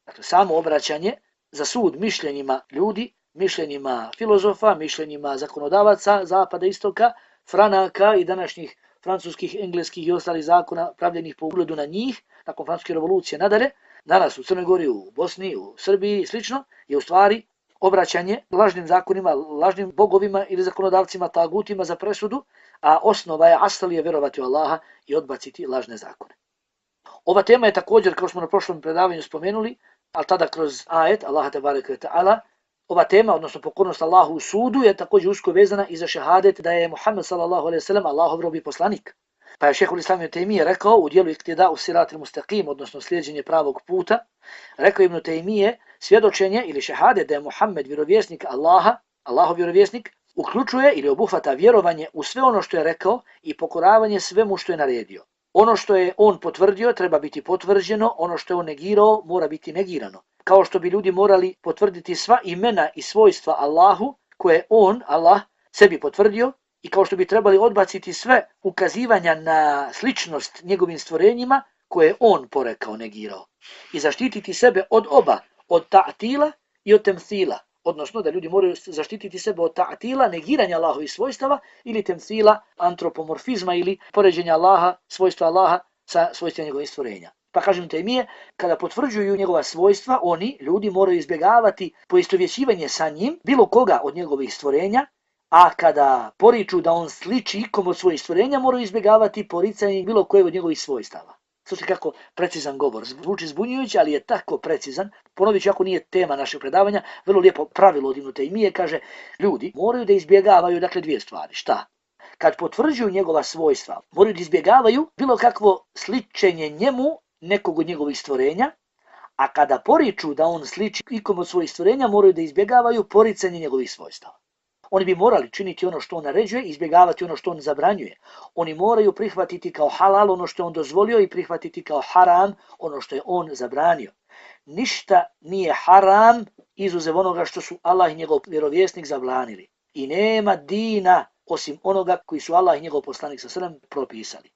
Dakle, samo obraćanje za sud mišljenjima ljudi, mišljenjima filozofa, mišljenjima zakonodavaca Zapada, Istoka, Franaka i današnjih francuskih, engleskih i ostalih zakona pravljenih po ugledu na njih, nakon francuske revolucije nadalje, danas u Crnoj Gori, u Bosni, u Srbiji i slično, je u stvari obraćanje lažnim zakonima, lažnim bogovima ili zakonodavcima, tagutima za presudu, a osnova je, asal je vjerovati u Allaha i odbaciti lažne zakone. Ova tema je također, kao smo na prošlom predavanju spomenuli, ali tada kroz ajet Allaha tebareke ve taala, ova tema, odnosno pokornost Allahu u sudu, je također usko vezana i za šehadet da je Muhammed sallallahu alejhi ve sellem Allahov rob i poslanik. Pa je Šejhul Islam ibn Tejmije rekao u dijelu Iktida u Siratil Mustaqim, odnosno slijeđenje pravog puta, rekao Ibn Tejmije, svjedočenje ili šehadet da je Muhammed vjerovjesnik Allaha, Allahov vjerovjesnik, uključuje ili obuhvata vjerovanje u sve ono što je rekao i pokoravanje svemu što je naredio. Ono što je on potvrdio treba biti potvrđeno, ono što je on negirao mora biti negirano. Kao što bi ljudi morali potvrditi sva imena i svojstva Allahu koje on, Allah, sebi potvrdio, i kao što bi trebali odbaciti sve ukazivanja na sličnost njegovim stvorenjima koje je on porekao, negirao. I zaštititi sebe od oba, od ta'tila i od temthila. Odnosno da ljudi moraju zaštititi sebe od ta'tila, negiranja Allahovih svojstava, ili temthila, antropomorfizma ili poređenja Allaha, svojstva Allaha sa svojstvima njegovih stvorenja. Pa kažem Tejmije, kada potvrđuju njegova svojstva, oni, ljudi, moraju izbjegavati poistovjećivanje sa njim, bilo koga od njegovih stvorenja, a kada poriču da on sliči ikom od svojih stvorenja, moraju izbjegavati poricanje bilo koje od njegovih svojstava. Slušajte kako precizan govor. Zvuči zbunjujući, ali je tako precizan. Ponovit ću, ako nije tema našeg predavanja, vrlo lijepo pravilo od Ibn Tejmije kaže, ljudi moraju da izbjegavaju dakle dvije stvari. Šta? Kad potvrđuju njegova svojstva, moraju da izbjegavaju bilo kakvo sličenje njemu nekog od njegovih stvorenja, a kada poriču da on sliči ikom od svojih stvorenja, moraju da izbjegavaju poricanje njegovih svojstava. Oni bi morali činiti ono što on naređuje i izbjegavati ono što on zabranjuje. Oni moraju prihvatiti kao halal ono što je on dozvolio i prihvatiti kao haram ono što je on zabranio. Ništa nije haram izuzev onoga što su Allah i njegov vjerovjesnik zabranili. I nema dina osim onoga koji su Allah i njegov poslanik sa srem propisali.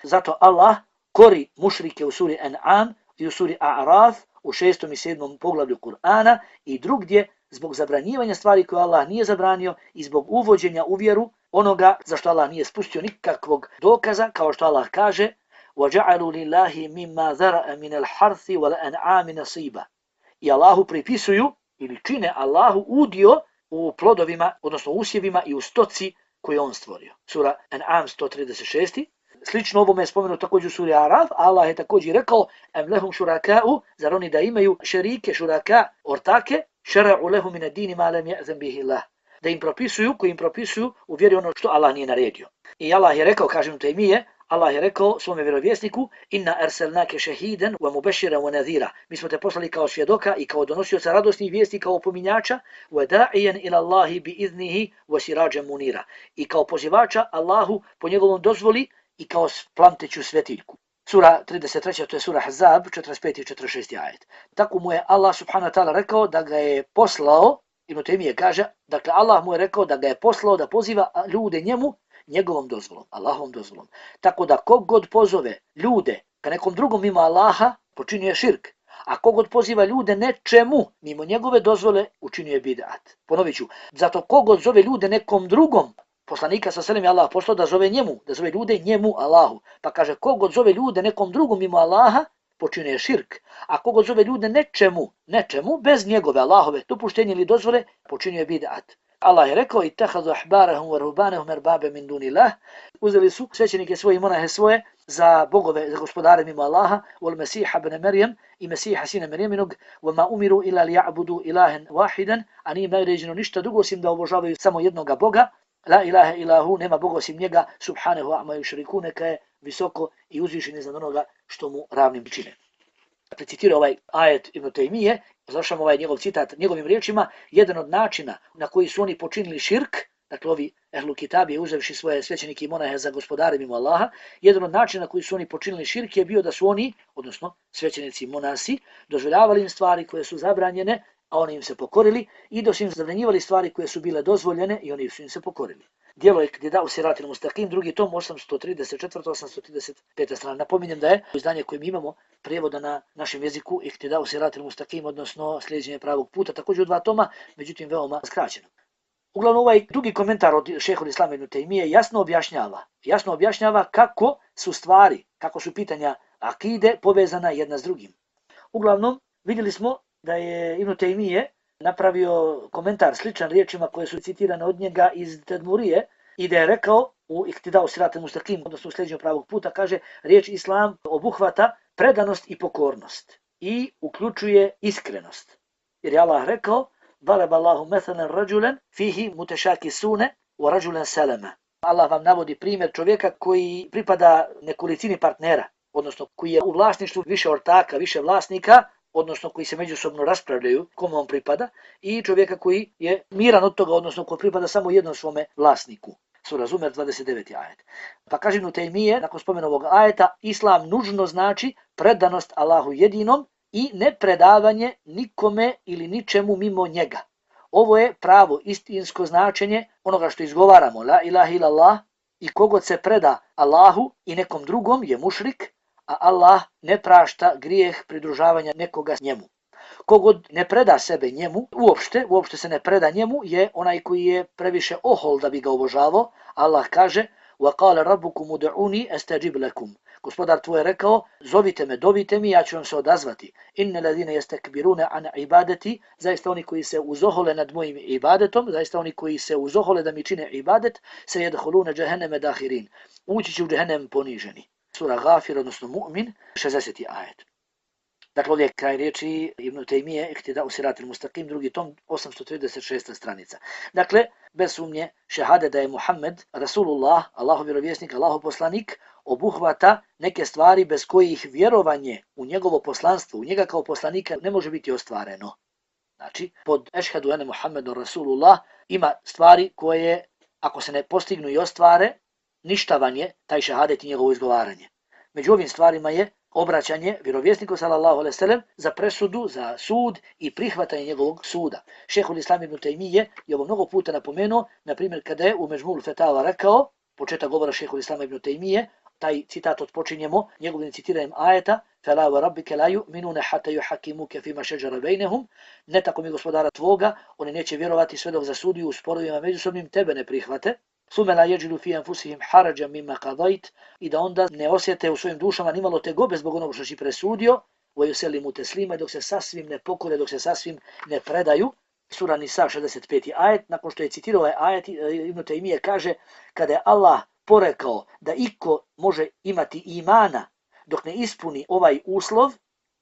Zato Allah kori mušrike u suri An'am i u suri A'raf u šestom i sedmom poglavlju Kur'ana i drugdje zbog zabranjivanja stvari koje Allah nije zabranio i zbog uvođenja u vjeru onoga za što Allah nije spustio nikakvog dokaza, kao što Allah kaže وَجَعَلُوا لِلَّهِ مِمَّا ذَرَأَ مِنَ الْحَرْثِ وَالْأَنْعَامِ نَصِيبًا. I Allahu pripisuju ili čine Allahu udio u plodovima, odnosno usjevima i u stoci koje on stvorio. Sura An'am sto trideset šest. Slično ovome je spomenuto također u suri Araf, Allah je također rekao em lehum šuraka'u, zar oni da imaju šerike, šuraka, ortake, šera'u lehum min ad-dini ma lam ya'zan bihi Allah. Da im propisuju, koji im propisuju u vjeri ono što Allah nije naredio. I Allah je rekao, kažem Tejmije, Allah je rekao svome vjerovjesniku inna arsalnake shahidan wa mubashiran wa nadhira. Mi smo te poslali kao svjedoka i kao donosioca radosnih vijesti, kao opominjača, wa da'iyan ila Allahi bi idnihi wa sirajan munira. I kao pozivača Allahu po njegovom dozvoli i kao plamteću svetiljku. Sura trideset treća, to je sura Ahzab, četrdeset peti i četrdeset šesti ajet. Tako mu je Allah subhanahu wa ta'ala rekao da ga je poslao, Ibn Tejmije kaže, dakle Allah mu je rekao da ga je poslao da poziva ljude njemu njegovom dozvolom, Allahovom dozvolom. Tako da kogod pozove ljude ka nekom drugom mimo Allaha, počinio širk. A kogod poziva ljude nečemu mimo njegove dozvole, učinio je bid'at. Ponovit ću, zato kogod zove ljude nekom drugom, poslanika sa selim je Allah poslao da zove njemu, da zove ljude njemu Allahu. Pa kaže, kogod zove ljude nekom drugom mimo Allaha, počinio je širk. A kogod zove ljude nečemu, nečemu, bez njegove Allahove dopuštenje ili dozvole, počinio je bid'at. Allah je rekao, ittakhadhu ahbarahum wa ruhbanahum arbabe min dunillah. Uzeli su svećenike svoje i monahe svoje za bogove, za gospodare mimo Allaha, wal Mesiha ibn Maryam i Mesiha sina Marijaminog, wa ma umiru illa liya'budu ilahan wahidan, a nije naređeno ništa drugo osim da obožavaju samo jednoga Boga. La ilaha ilahu, nema Boga osim njega, subhanahu amma yushrikun, neka je visoko i uzvišen iznad onoga što mu ravnim čine. Citirao ovaj ajet Ibn Tejmije, završamo ovaj njegov citat njegovim riječima, jedan od načina na koji su oni počinili širk, dakle ovi ehlu kitabije uzevši svoje svećenike i monahe za gospodare mimo Allaha, jedan od načina na koji su oni počinili širk je bio da su oni, odnosno svećenici i monasi, dozvoljavali im stvari koje su zabranjene, a oni im se pokorili, i da su im zabranjivali stvari koje su bile dozvoljene i oni su im se pokorili. Djelo Iktidau Siratil Mustaqim, drugi tom, osamsto trideset četvrta osamsto trideset peta strana. Napominjem da je izdanje koje mi imamo prijevoda na našem jeziku Iktidau Siratil Mustaqim, odnosno slijeđenje pravog puta, također u dva toma, međutim veoma skraćeno. Uglavnom ovaj drugi komentar od šejhul Islama ibn Tejmije jasno objašnjava, jasno objašnjava kako su stvari, kako su pitanja akide povezana jedna s drugim. Uglavnom vidjeli smo da je Ibn Tejmije napravio komentar sličan riječima koje su citirane od njega iz Tedmurije i da je rekao u Iktidau Siratil Mustaqim, odnosno u slijeđenju pravog puta, kaže riječ islam obuhvata predanost i pokornost i uključuje iskrenost. Jer je Allah rekao ضرب الله مثلا رجلا فيه متشاكسون ورجلا سلما. Allah vam navodi primjer čovjeka koji pripada nekolicini partnera, odnosno koji je u vlasništvu više ortaka, više vlasnika, odnosno koji se međusobno raspravljaju kome on pripada, i čovjeka koji je miran od toga, odnosno koji pripada samo jednom svome vlasniku. Sura Zumer dvadeset deveti ajet. Pa kaže Ibn Tejmije, nakon spomena ovog ajeta, islam nužno znači predanost Allahu jedinom i nepredavanje nikome ili ničemu mimo njega. Ovo je pravo istinsko značenje onoga što izgovaramo, la ilaha illallah, i kogod se preda Allahu i nekom drugom je mušrik, a Allah ne prašta grijeh pridružavanja nekoga njemu. Kogod ne preda sebe njemu, uopšte, uopšte se ne preda njemu, je onaj koji je previše ohol da bi ga obožavao. Allah kaže وَقَالَ رَبُّكُمُ دُعُونِي أَسْتَجِبْ لَكُمْ. Gospodar tvoj je rekao, zovite me, dovite mi, ja ću vam se odazvati. Inne ladine yastakbiruna an ibadati, zaista oni koji se uzohole nad mojim ibadetom, zaista oni koji se uzohole da mi čine ibadet, se yadkhuluna jahannama dakhirin. Ući će u džehennem poniženi. Sura Ghafir, odnosno Mu'min, šezdeseti ajet. Dakle, ovdje je kraj riječi Ibn Tejmije, Iktidau Siratil Mustaqim, drugi tom, osamsto trideset šesta stranica. Dakle, bez sumnje, šehade da je Muhammed, Rasulullah, Allahov vjerovjesnik, Allahov poslanik, obuhvata neke stvari bez kojih vjerovanje u njegovo poslanstvo, u njega kao poslanika ne može biti ostvareno. Znači, pod ešhedu ene Muhammedun Rasulullah ima stvari koje, ako se ne postignu i ostvare, ništavan je taj šehadet i njegovo izgovaranje. Među ovim stvarima je obraćanje vjerovjesniku sallallahu alejhi ve sellem za presudu, za sud i prihvatanje njegovog suda. Šejhul Islam ibn Tejmije je ovo mnogo puta napomenuo, na primjer kada je u Mežmul Fetava rekao, početak govora Šejhul Islam ibn Tejmije, taj citat odpočinjemo njegovim citiranjem ajeta فَلَا وَرَبِّكَ لَا يُؤْمِنُونَ حَتَّى يُحَكِّمُوكَ فِيمَا شَجَرَ بَيْنَهُمْ. Ne tako mi gospodara tvoga, oni neće vjerovati sve dok zasudiju u sporovima međusobnim tebe ne prihvate. ثُمَّ لَا يَجِدُوا فِي أَنفُسِهِمْ حَرَجًا مِمَّا قَضَيْتَ. I da onda ne osjete u svojim dušama nimalo tegobe zbog onog što si presudio. وَيُسَلِّمُوا تَسْلِيمًا. Dok se sasvim ne pokore, dok se sasvim ne predaju. Sura Nisa šezdeset peti ajet. Nakon što je citirao ovaj ajet, Ibn Tejmije kaže, kada je Allah porekao da iko može imati imana dok ne ispuni ovaj uslov,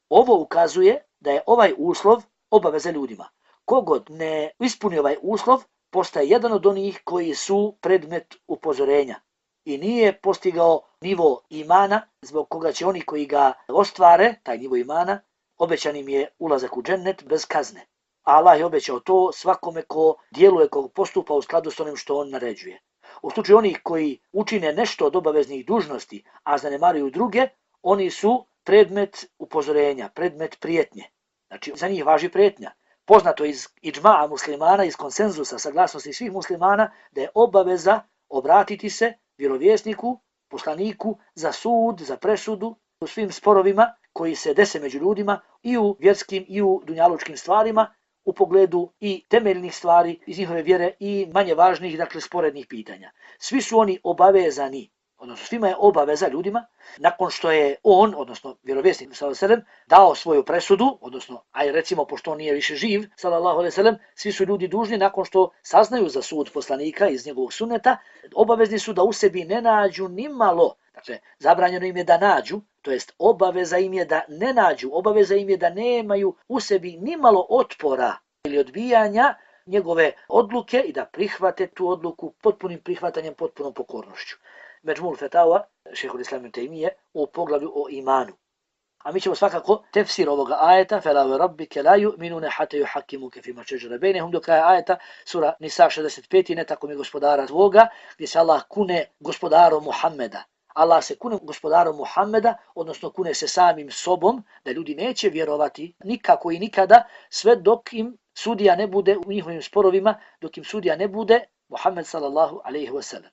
ovo ukazuje da je ovaj uslov obaveza ljudima. Kogod ne ispuni ovaj uslov, postaje jedan od onih koji su predmet upozorenja i nije postigao nivo imana zbog koga će oni koji ga ostvare, taj nivo imana, obećan im je ulazak u džennet bez kazne. A Allah je obećao to svakome ko djeluje, ko postupa u skladu s onim što on naređuje. U slučaju onih koji učine nešto od obaveznih dužnosti, a zanemaruju druge, oni su predmet upozorenja, predmet prijetnje. Znači, za njih važi prijetnja. Poznato iz idžma'a muslimana, iz konsenzusa, saglasnosti svih muslimana, da je obaveza obratiti se vjerovjesniku, poslaniku, za sud, za presudu, u svim sporovima koji se dese među ljudima i u vjerskim i u dunjalučkim stvarima, u pogledu i temeljnih stvari iz njihove vjere i manje važnih, dakle, sporednih pitanja. Svi su oni obavezani, odnosno svima je obaveza ljudima, nakon što je on, odnosno vjerovjesnik sallallahu alejhi ve sellem, dao svoju presudu, odnosno, aj recimo, pošto on nije više živ, sallallahu alejhi ve sellem, svi su ljudi dužni, nakon što saznaju za sud poslanika iz njegovog sunneta, obavezni su da u sebi ne nađu nimalo, dakle, zabranjeno im je da nađu, to jest obaveza im je da ne nađu, obaveza im je da nemaju u sebi nimalo otpora ili odbijanja njegove odluke i da prihvate tu odluku potpunim prihvatanjem, potpunom pokornošću. Međmul Fetava, šejhul Islam ibn Tejmije, u poglavlju o imanu. A mi ćemo svakako tefsir ovoga ajeta, فَلَا وَرَبِّكَ لَا يُؤْمِنُونَ حَتَّى يُحَكِّمُوكَ فِيمَا شَجَرَ بَيْنَهُمْ, do kraja ajeta, sura Nisa šezdeset peti, ne tako mi gospodara tvoga, gdje se Allah kune gospodarom Muhammeda. Allah se kune gospodarom Muhammeda, odnosno kune se samim sobom, da ljudi neće vjerovati nikako i nikada, sve dok im sudija ne bude u njihovim sporovima, dok im sudija ne bude Muhammed sallallahu alejhi ve sellem.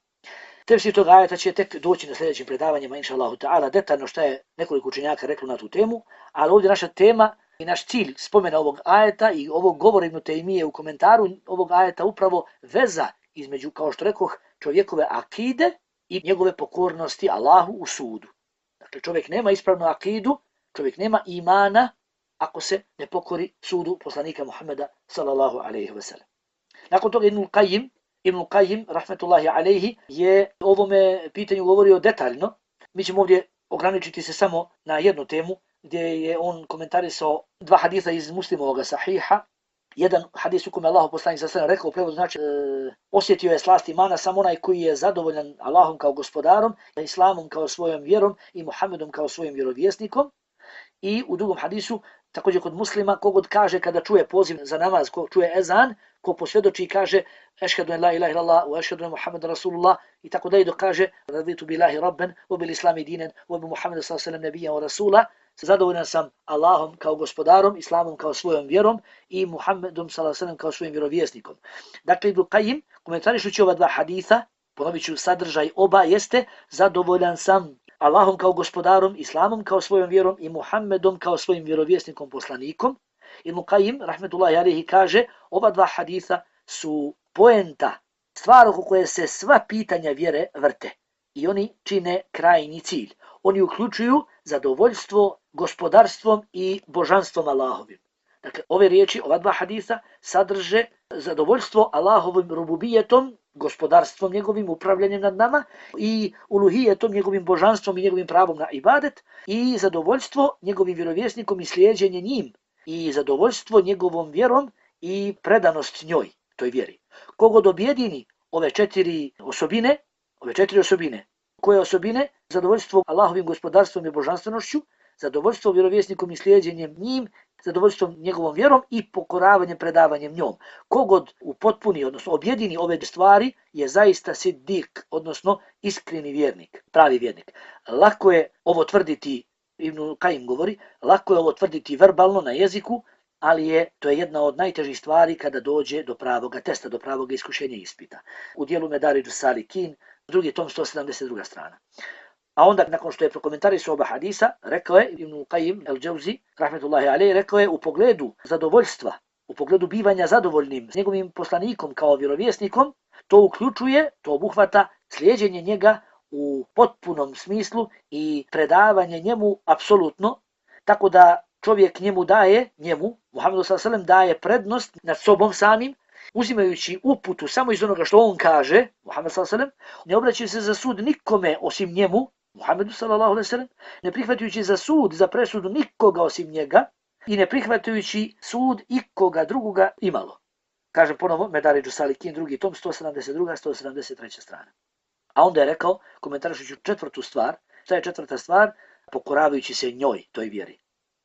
Tefsir tog ajeta će tek doći na sljedećim predavanjima, inša Allahu ta'ala, detaljno šta je nekoliko učenjaka reklo na tu temu, ali ovdje naša tema i naš cilj spomena ovog ajeta i ovog govora Ibn Taymije u komentaru ovog ajeta upravo veza između, kao što rekoh, čovjekove akide i njegove pokornosti Allahu u sudu. Dakle, čovjek nema ispravnu akidu, čovjek nema imana ako se ne pokori sudu poslanika Muhammeda sallallahu alejhi ve sellem. Nakon toga Ibn Qayyim, Ibn Qayyim, rahmetullahi alejhi, je o ovome pitanju govorio detaljno. Mi ćemo ovdje ograničiti se samo na jednu temu, gdje je on komentarisao dva hadisa iz Muslimovog sahiha. Jedan hadis u kome Allahu poslanik sallallahu alejhi ve sellem rekao u prevodu, znači e, osjetio je slast imana samo onaj koji je zadovoljan Allahom kao gospodarom, Islamom kao svojom vjerom i Muhammedom kao svojim vjerovjesnikom. I u drugom hadisu, također kod Muslima, kogod kaže kada čuje poziv za namaz, ko čuje ezan, ko posvjedoči i kaže ešhedu en la ilaha illallah wa ešhedu en Muhammeda Rasulullah i tako dalje, dok kaže raditu billahi rabben wa bil islami dinen wa bi Muhammeda sallallahu alejhi ve sellem nabiyan wa rasula, zadovoljan sam Allahom kao gospodarom, Islamom kao svojom vjerom i Muhammedom sallallahu alejhi ve sellem kao svojim vjerovjesnikom. Dakle, Ibn Qayyim, komentarišući ova dva hadisa, ponovit ću sadržaj oba, jeste zadovoljan sam Allahom kao gospodarom, Islamom kao svojom vjerom i Muhammedom kao svojim vjerovjesnikom poslanikom. Ibn Qayyim, rahmetullahi alejhi, kaže, ova dva hadisa su poenta, stvar oko koje se sva pitanja vjere vrte i oni čine krajnji cilj. Oni uključuju zadovoljstvo gospodarstvom i božanstvom Allahovim. Dakle, ove riječi, ova dva hadisa sadrže zadovoljstvo Allahovim rububijetom, gospodarstvom njegovim, upravljanjem nad nama i uluhijetom, njegovim božanstvom i njegovim pravom na ibadet i zadovoljstvo njegovim vjerovjesnikom i slijeđenje njim i zadovoljstvo njegovom vjerom i predanost njoj, toj vjeri. Kogod objedini ove četiri osobine, ove četiri osobine, koje osobine? Zadovoljstvo Allahovim gospodarstvom i božanstvenošću, zadovoljstvo vjerovjesnikom i slijeđenjem njim, zadovoljstvom njegovom vjerom i pokoravanjem, predavanjem njom. Kogod upotpuni, odnosno objedini ove stvari, je zaista siddik, odnosno iskreni vjernik, pravi vjernik. Lako je ovo tvrditi, Ibn Qayyim govori, lako je ovo tvrditi verbalno na jeziku, ali je to je jedna od najtežih stvari kada dođe do pravoga testa, do pravoga iskušenja ispita. U dijelu Medaridžu Salikin, drugi tom sto sedamdeset druga strana. A onda, nakon što je prokomentarisao oba hadisa, rekao je Ibn Qayyim al-Jawzi, rahmetullahi alejhi, rekao je u pogledu zadovoljstva, u pogledu bivanja zadovoljnim s njegovim poslanikom kao vjerovjesnikom, to uključuje, to obuhvata slijeđenje njega u potpunom smislu i predavanje njemu apsolutno, tako da čovjek njemu daje, njemu, Muhammedu sallallahu alejhi ve sellem, daje prednost nad sobom samim, uzimajući uputu samo iz onoga što on kaže, Muhammed sallallahu alejhi ve sellem, ne obraćajući se za sud nikome osim njemu, Muhammedu sallallahu alejhi ve sellem, ne prihvatajući za sud, za presudu nikoga osim njega i ne prihvatajući sud ikoga drugoga imalo. Kaže ponovo Medaridžu Salikin, drugi tom, sto sedamdeset druga sto sedamdeset treća strana. A onda je rekao, komentarišući četvrtu stvar, šta je četvrta stvar? Pokoravajući se njoj, toj vjeri.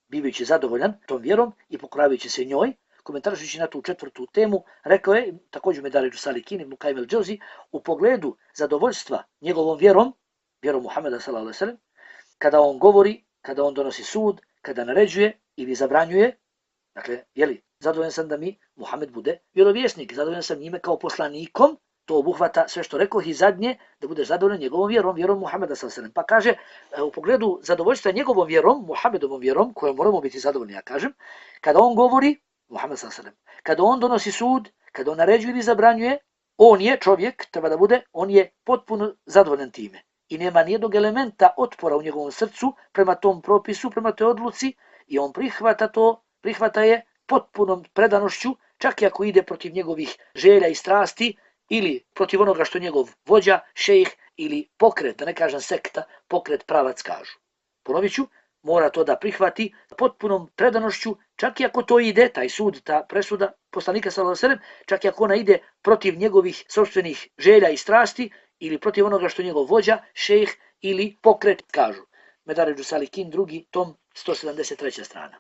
Bivajući zadovoljan tom vjerom i pokoravajući se njoj, komentarišući na tu četvrtu temu, rekao je, također Medaridžu Salikin, Ibn Qayyim al-Jawzi, u pogledu zadovoljstva njegovom vjerom, vjerom Muhammeda sallallahu alejhi ve sellem, kada on govori, kada on donosi sud, kada naređuje ili zabranjuje, dakle, jeli, zadovoljan sam da mi Muhammed bude vjerovjesnik, zadovoljan sam njime kao poslanikom, to obuhvata sve što rekoh i zadnje, da budeš zadovoljan njegovom vjerom, vjerom Muhammeda sallallahu alejhi ve sellem. Pa kaže, u pogledu zadovoljstva njegovom vjerom, Muhammedovom vjerom, kojom moramo biti zadovoljni, ja kažem, kada on govori, Muhammed sallallahu alejhi ve sellem, kada on donosi sud, kada on naređuje ili zabranjuje, on je čovjek, treba da bude, on je potpuno zadovoljan time. I nema nijednog elementa otpora u njegovom srcu prema tom propisu, prema toj odluci i on prihvata to, prihvata je potpunom predanošću, čak i ako ide protiv njegovih želja i strasti ili protiv onoga što njegov vođa, šejh ili pokret, da ne kažem sekta, pokret, pravac kažu. Ponovit ću, mora to da prihvati potpunom predanošću, čak i ako to ide, taj sud, ta presuda poslanika sallallahu alejhi ve sellem, čak i ako ona ide protiv njegovih sopstvenih želja i strasti ili protiv onoga što njegov vođa, šejh ili pokret kažu. Medaridžu Salikin, drugi tom, sto sedamdeset treća strana.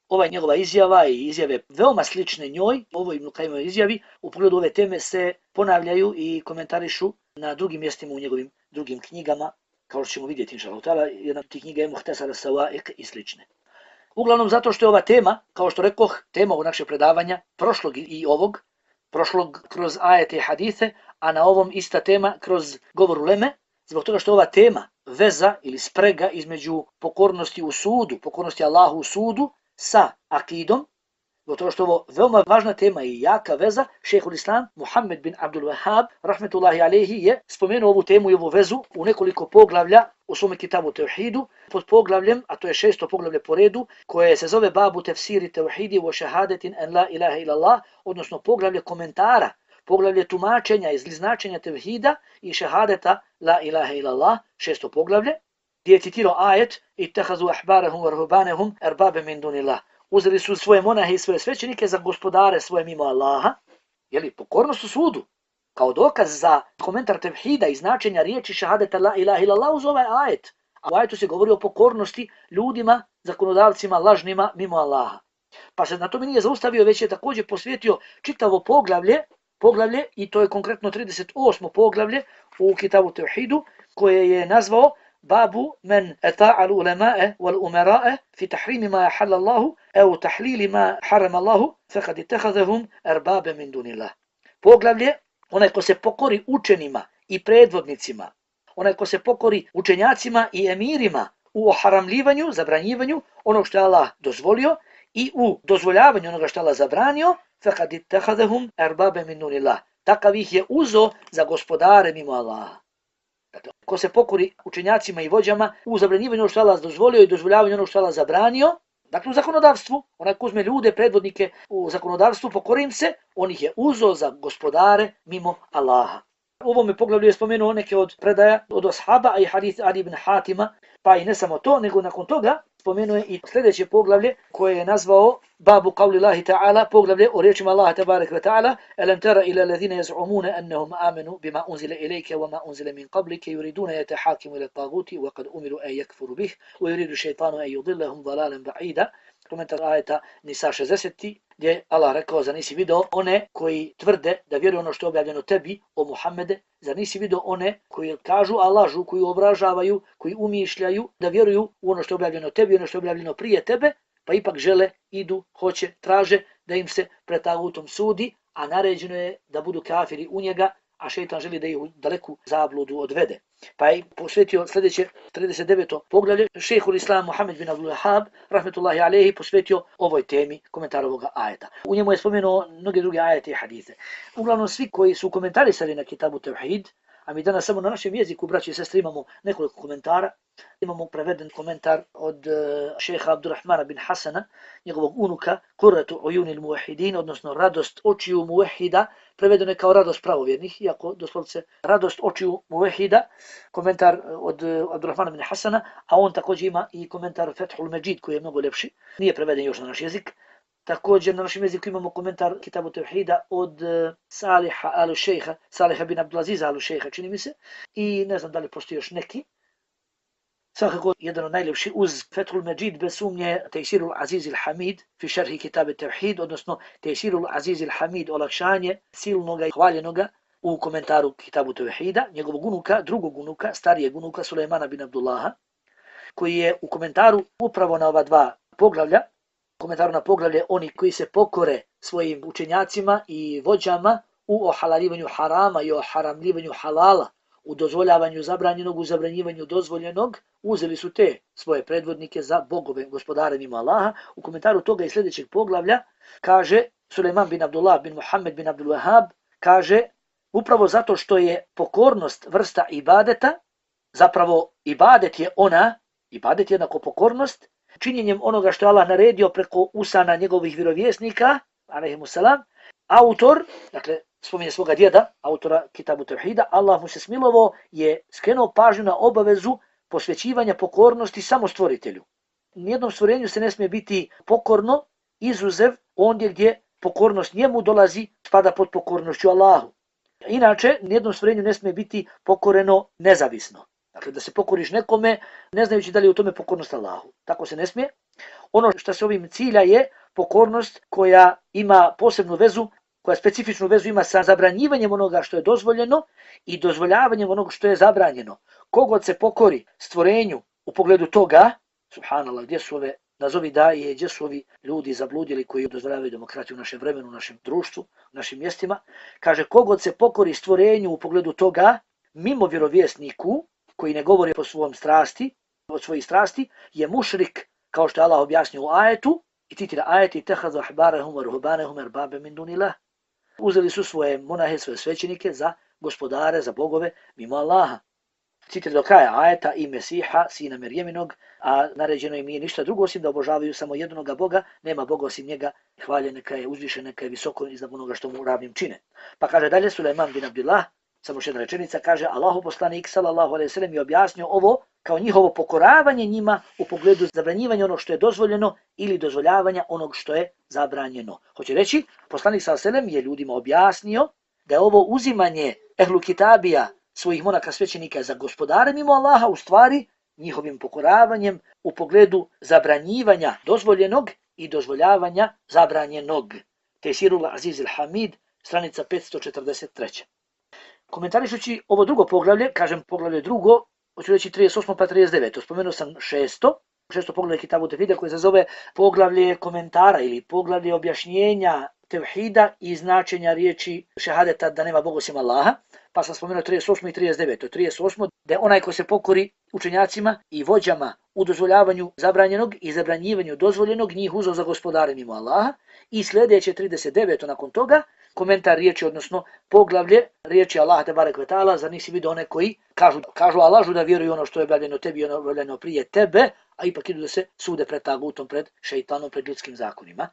Ova njegova izjava i izjave veoma slične njoj, ovoj Ibn Qayyimove izjavi, u pogledu ove teme se ponavljaju i komentarišu na drugim mjestima u njegovim drugim knjigama, kao što ćemo vidjeti, inša Allah, jedna od tih knjiga je Muhtasar as-Sawa'iq i slične. Uglavnom zato što je ova tema, kao što rekoh, tema ovog našeg predavanja, prošlog i ovog, prošlog kroz ajete i hadise, a na ovom ista tema kroz govor uleme, zbog toga što ova tema, veza ili sprega između pokornosti u sudu, pokornosti Allahu u sudu sa akidom, zbog toga što ovo veoma važna tema i jaka veza, šejhul Islam Muhammed bin Abdul Wahhab, rahmetullahi alejhi, je spomenuo ovu temu i ovu vezu u nekoliko poglavlja u svome kitabu Tevhidu, pod poglavljem, a to je šesto poglavlje po redu, koje se zove Babu tefsiri tevhidi wa šahadetin en la ilaha illallah, odnosno poglavlje komentara, poglavlje tumačenja iz značenja tevhida i šahadeta la ilaha illallah, šesto poglavlje, gdje je citirao ajet ittahazu ahbarahum wa ruhbanahum erbabe min dunillah. Uzeli su svoje monahe i svoje svećenike za gospodare svoje mimo Allaha, jeli, pokornost u sudu, kao dokaz za komentar tevhida i značenja riječi šahadeta la ilaha illallah uz ovaj ajet. A u ajetu se govori o pokornosti ljudima, zakonodavcima, lažnima mimo Allaha. Pa se na tome nije zaustavio, već je također posvetio čitavo poglavlje, poglavlje i to je konkretno trideset osmo poglavlje u kitabu Tevhidu, koje je nazvao Babu men eta'al ulema'e wal umera'e fi tahrimi ma jahalla Allahu au tahlili ma haram Allahu fekad itehazahum erbabe min dunillah. Poglavlje, onaj ko se pokori učenima i predvodnicima, onaj ko se pokori učenjacima i emirima u oharamljivanju, zabranjivanju onog što je Allah dozvolio i u dozvoljavanju onoga što je Allah zabranio, fekad itehazahum erbabe min dunillah. Takav ih je uzo za gospodare mimo Allaha. Dakle, ko se pokori učenjacima i vođama u zabranjivanju onog što je Allah dozvolio i dozvoljavanju onog što je Allah zabranio, dakle u zakonodavstvu, onaj ko uzme ljude, predvodnike u zakonodavstvu, pokori im se, on ih je uzo za gospodare mimo Allaha. U ovome poglavlju je spomenuo neke od predaja od ashaba, a i hadith Adi ibn Hatima, pa i ne samo to, nego nakon toga spomenuo je i sljedeće poglavlje koje je nazvao Babu qavli Allahi ta'ala, poglavlje o riječima Allaha tabarak wa ta'ala, alam tara ila alladhina yaz'umuna annahum amanu bima unzila ilayka wa ma unzila min qablika yuriduna yatahakimu ila at-taghuti wa qad umiru an yakfuru bih wa yuridu shaytanu an yudillahum dalalan ba'ida. Komentar ajeta Nisa šezdeset, gdje Allah rekao, zar nisi video one koji tvrde da vjeruju ono što je objavljeno tebi, o Muhammede, zar nisi video one koji kažu, a lažu, koji obražavaju, koji umišljaju da vjeruju u ono što je objavljeno tebi, ono što je objavljeno prije tebe, pa ipak žele, idu, hoće, traže da im se pred tagutom sudi, a naređeno je da budu kafiri u njega, a šejtan želi da ih u daleku zabludu odvede. Pa je posvetio sljedeće trideset deveto poglavlje, šejhul Islam Muhammed bin Abdul Wahhab, rahmetullahi alejhi, posvetio ovoj temi komentara ovoga ajeta. U njemu je spomenuo mnoge druge ajete i hadise. Uglavnom svi koji su komentarisali na kitabu Tevhid, a mi danas samo na našem jeziku, braći i sestre, imamo nekoliko komentara. Imamo preveden komentar od uh, šeha Abdurrahmana bin Hasana, njegovog unuka, Qurratu ujunil muvahidin, odnosno radost očiju muvahida, prevedeno je kao radost pravovjernih, iako doslovce radost očiju muvahida, komentar od uh, Abdurrahmana bin Hasana, a on također ima i komentar Fethul Međid koji je mnogo lepši, nije preveden još na naš jezik. Također na našem jeziku imamo komentar kitabu Tevhida od uh, Saliha al-Šejha, Saliha bin Abdulaziza al-Šejha, čini mi se, i ne znam da li postoji još neki. Svakako jedan od najljepši uz Fethul Međid bez sumnje Tejsirul Aziz il-Hamid fi šerhi kitabe Tevhid, odnosno Tejsirul Aziz il-Hamid, olakšanje silnoga i hvaljenoga u komentaru kitabu Tevhida, njegovog unuka, drugog unuka, starijeg unuka Sulejmana bin Abdullaha, koji je u komentaru upravo na ova dva poglavlja, komentaru na poglavlje oni koji se pokore svojim učenjacima i vođama u ohalalivanju harama i oharamljivanju halala, u dozvoljavanju zabranjenog, u zabranjivanju dozvoljenog, uzeli su te svoje predvodnike za bogove, gospodare mimo Allaha. U komentaru toga i sljedećeg poglavlja kaže Sulejman bin Abdullah bin Muhammed bin Abdul Wahhab, kaže upravo zato što je pokornost vrsta ibadeta, zapravo ibadet je ona, ibadet je jednako pokornost, činjenjem onoga što je Allah naredio preko usana njegovih vjerovjesnika, alejhimussalam, autor, dakle, spominje svoga djeda, autora kitabu Tevhida, Allah mu se smilovao, je skrenuo pažnju na obavezu posvećivanja pokornosti samo stvoritelju. Nijednom stvorenju se ne smije biti pokorno, izuzev ondje gdje pokornost njemu dolazi, spada pod pokornošću Allahu. Inače, nijednom stvorenju ne smije biti pokoreno nezavisno. Dakle, da se pokoriš nekome, ne znajući da li je u tome pokornost Allahu. Tako se ne smije. Ono što se ovim cilja je pokornost koja ima posebnu vezu, koja specifičnu vezu ima sa zabranjivanjem onoga što je dozvoljeno i dozvoljavanjem onoga što je zabranjeno. Kogod se pokori stvorenju u pogledu toga, subhanallah, gdje su ove nazovi daje, gdje su ovi ljudi zabludili koji dozvoljavaju demokratiju u našem vremenu, u našem društvu, u našim mjestima. Kaže, kogod se pokori stvorenju u pogledu toga, mimo vjerovjesniku, koji ne govori po svom strasti, od svojih strasti, je mušrik, kao što je Allah objasnio u ajetu, i citira ajeti, tehadu ahbarahum wa ruhbanahum erbabe min dunillah. Uzeli su svoje monahe, svoje svećenike za gospodare, za bogove, mimo Allaha. Citira do kraja ajeta i Mesiha, sina Merjeminog, a naređeno im nije ništa drugo osim da obožavaju samo jednoga Boga, nema Boga osim njega, hvaljen neka je, uzvišen neka je, visoko iznad onoga što mu ravnim čine. Pa kaže dalje Sulejman bin Abdillah, samo još jedna rečenica, kaže Allahu poslanik sallallahu alejhi ve sellem je objasnio ovo kao njihovo pokoravanje njima u pogledu zabranjivanja onog što je dozvoljeno ili dozvoljavanja onog što je zabranjeno. Hoće reći, poslanik sallallahu alejhi ve sellem je ljudima objasnio da je ovo uzimanje ehlu kitabija, svojih monaka svećenika za gospodare mimo Allaha, u stvari njihovim pokoravanjem u pogledu zabranjivanja dozvoljenog i dozvoljavanja zabranjenog. Tesirul Aziz al-Hamid, stranica petsto četrdeset tri. Komentarišući ovo drugo poglavlje, kažem poglavlje drugo, hoću reći trideset osmo pa trideset deveto. Spomenuo sam šesto, šesto poglavlje Kitabu Tevhida koje se zove poglavlje komentara ili poglavlje objašnjenja tevhida i značenja riječi šehadeta da nema Boga osim Allaha. Pa sam spomenuo trideset osmo i trideset deveto. trideset osmo da je onaj ko se pokori učenjacima i vođama u dozvoljavanju zabranjenog i zabranjivanju dozvoljenog, njih uzeo za gospodare mimo Allaha. I sljedeće trideset deveto nakon toga, komentar riječi, odnosno poglavlje riječi Allah te barek ve taala, zar nisi vidio one koji kažu, kažu a lažu da vjeruju ono što je objavljeno tebi i ono objavljeno prije tebe, a ipak idu da se sude pred tagutom, pred šejtanom, pred ljudskim zakonima.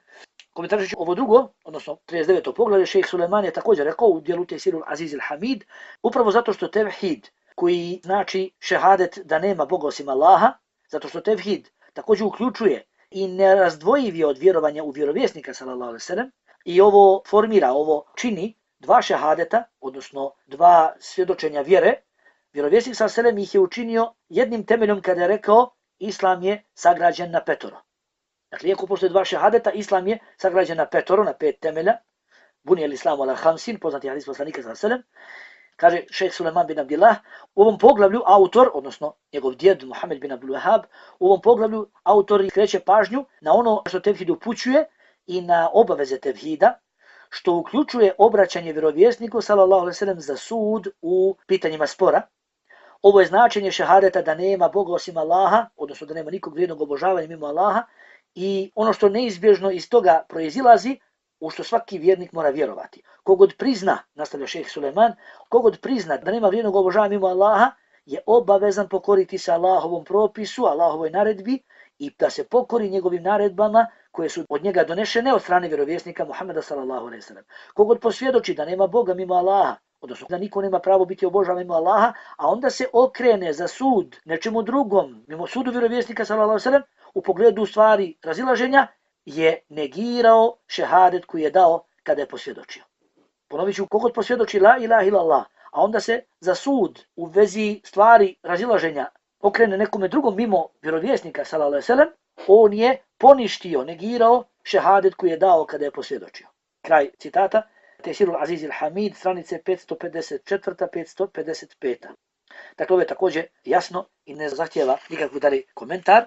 Komentarišući ovo drugo, odnosno trideset deveto poglavlje, šejh Sulejman je također rekao u dijelu Tesirul Aziz al-Hamid, upravo zato što tevhid, koji znači šehadet da nema Boga osim Allaha, zato što tevhid također uključuje i nerazdvojiv je od vjerovanja u vjerovjesnika sallallahu alejhi ve sellem, i ovo formira, ovo čini dva šehadeta, odnosno dva svjedočenja vjere. Vjerovjesnik sallallahu alejhi ve sellem ih je učinio jednim temeljom kada je rekao Islam je sagrađen na petoro. Dakle, iako postoje dva šehadeta, Islam je sagrađen na petoro, na pet temelja. Buni el islamu ala hamsin, poznati hadis poslanika sallallahu alejhi ve sellem. Kaže šejh Sulejman bin Abdillah, u ovom poglavlju autor, odnosno njegov djed Muhammed bin Abdul Wahhab, u ovom poglavlju autor skreće pažnju na ono što tevhid upućuje i na obaveze tevhida, što uključuje obraćanje vjerovjesniku sallallahu alejhi ve sellem za sud u pitanjima spora. Ovo je značenje šehadeta da nema Boga osim Allaha, odnosno da nema nikog vrijednog obožavanja mimo Allaha, i ono što neizbježno iz toga proizilazi, u što svaki vjernik mora vjerovati. Kogod prizna, nastavlja šejh Sulejman, kogod prizna da nema vrijednog obožavanja mimo Allaha, je obavezan pokoriti se Allahovom propisu, Allahovoj naredbi i da se pokori njegovim naredbama koje su od njega donešene od strane vjerovjesnika Muhameda sallallahu alejhi ve sellem. Kogod posvjedoči da nema Boga mimo Allaha, odnosno da niko nema pravo biti obožavan mimo Allaha, a onda se okrene za sud nečemu drugom, mimo sudu vjerovjesnika sallallahu alejhi ve sellem, u pogledu stvari razilaženja, je negirao šehadet koji je dao kada je posvjedočio. Ponovit ću, kogod posvjedoči la ilaha illallah, a onda se za sud u vezi stvari razilaženja okrene nekome drugom mimo vjerovjesnika sallallahu alejhi ve sellem, on je poništio, negirao šehadet koji je dao kada je posvjedočio. Kraj citata, Tesirul Aziz al-Hamid, stranice petsto pedeset četiri do petsto pedeset pet. Dakle, ovo je također jasno i ne zahtjeva nikakvu dalje komentar.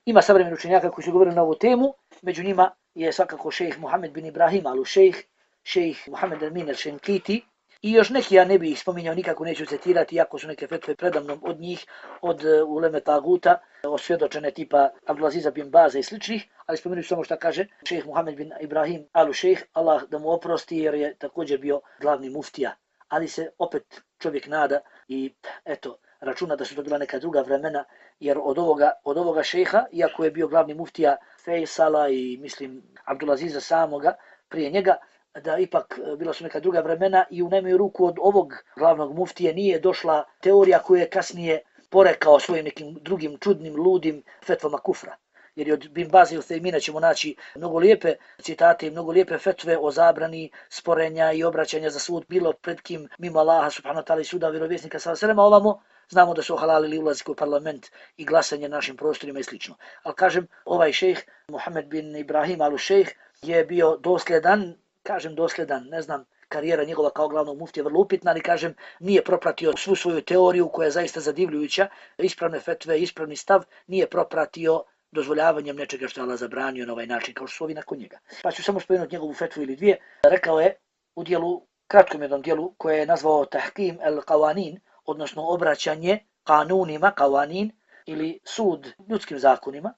Ima savremeni učenjaka koji su govorili na ovu temu, među njima je svakako šejh Muhammed bin Ibrahim al-Šejh, šejh Muhammed al-Min al-Šenkiti i još neki, ja ne bih ih spominjao, nikako neću citirati, iako su neke fetve predamnom od njih, od uh, uleme taguta, osvjedočene tipa Abdulaziza bin Baza i sličnih, ali spomenuti samo što kaže šejh Muhammed bin Ibrahim al-Šejh, Allah da mu oprosti jer je također bio glavni muftija, ali se opet čovjek nada i eto, računa da su to bila neka druga vremena, jer od ovoga, od ovoga šejha, iako je bio glavni muftija Fejsala i mislim Abdulaziza samoga prije njega, da ipak bila su neka druga vremena i u najmanju ruku od ovog glavnog muftije nije došla teorija koju je kasnije porekao svojim nekim drugim čudnim, ludim fetvama kufra. Jer od Bin Baza i Uthejmina ćemo naći mnogo lijepe citate i mnogo lijepe fetve o zabrani sporenja i obraćanja za sud, bilo pred kim mimo Allaha subhanahu wa ta'ala i suda vjerovjesnika sallallahu alejhi ve sellem, ovamo znamo da su halalili ulazak u parlament i glasanje našim prostorima i slično. Ali kažem, ovaj šejh Muhammed bin Ibrahim al-Šejh je bio dosljedan, kažem dosljedan, ne znam, karijera njegova kao glavnog muftija vrlo upitna, ali kažem, nije propratio svu svoju teoriju koja je zaista zadivljujuća, ispravne fetve, ispravni stav, nije propratio dozvoljavanjem nečega što je Allah zabranio na ovaj način, kao što su ovi nakon njega. Pa ću samo spomenuti njegovu fetvu ili dvije. Rekao je u dijelu, kratkom jednom dijelu, koje je nazvao Tahkim el-Qawanin, odnosno obraćanje kanunima, Qawanin, ili sud ljudskim zakonima,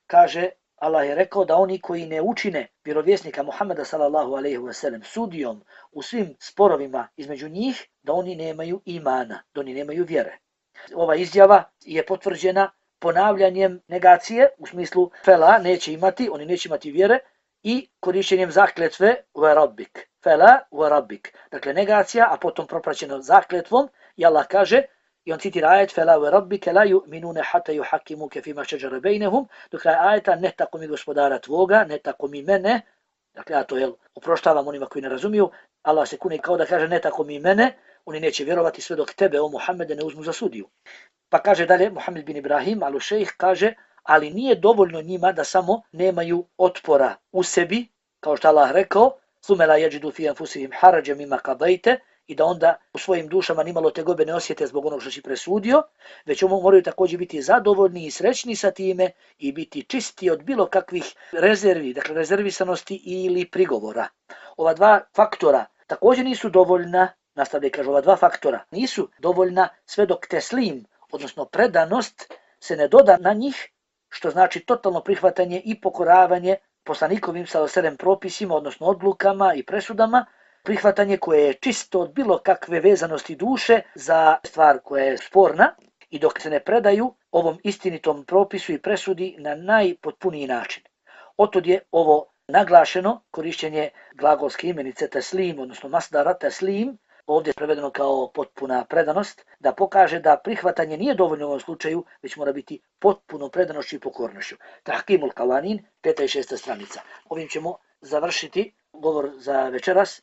kaže, Allah je rekao da oni koji ne učine vjerovjesnika Muhammeda sallallahu alejhi ve sellem sudijom u svim sporovima između njih, da oni nemaju imana, da oni nemaju vjere. Ova izjava je potvrđena ponavljanjem negacije, u smislu fela neće imati, oni neće imati vjere, i korišćenjem zakletve ve rabbik. Fela ve rabbik. Dakle, negacija, a potom propraćeno zakletvom, i Allah kaže, i on citira ajet fela ve rabbike la yu'minuna hatta yuhakkimuke fima shajara bainahum, do kraja ajeta ne tako mi gospodara tvoga, ne tako mi mene, dakle ja to jel, oproštavam onima koji ne razumiju, Allah se kune kao da kaže ne tako mi mene, oni neće vjerovati sve dok tebe, o Muhammede, ne uzmu za sudiju. Pa kaže dalje, Muhammed bin Ibrahim, al-Šejh kaže, ali nije dovoljno njima da samo nemaju otpora u sebi, kao što Allah rekao, ثُمَّ لَا يَجِدُوا فِي أَنفُسِهِمْ حَرَجًا مِمَّا قَضَيْتَ, i da onda u svojim dušama nimalo tegobe ne osjete zbog onog što si presudio, već moraju također biti zadovoljni i srećni sa time i biti čisti od bilo kakvih rezervi, dakle rezervisanosti ili prigovora. Ova dva faktora također nisu dovoljna, nastavlja kaže, ova dva faktora nisu dovoljna sve dok teslim, odnosno predanost, se ne doda na njih, što znači totalno prihvatanje i pokoravanje poslanikovim sallallahu alejhi ve sellem propisima, odnosno odlukama i presudama, prihvatanje koje je čisto od bilo kakve vezanosti duše za stvar koja je sporna, i dok se ne predaju ovom istinitom propisu i presudi na najpotpuniji način. Otod je ovo naglašeno korišćenje glagolske imenice teslim, odnosno masdara teslim, ovdje je prevedeno kao potpuna predanost, da pokaže da prihvatanje nije dovoljno u ovom slučaju, već mora biti potpuno predanošću i pokornošću. Tahkimul Qawanin, peta i šesta stranica. Ovim ćemo završiti govor za večeras.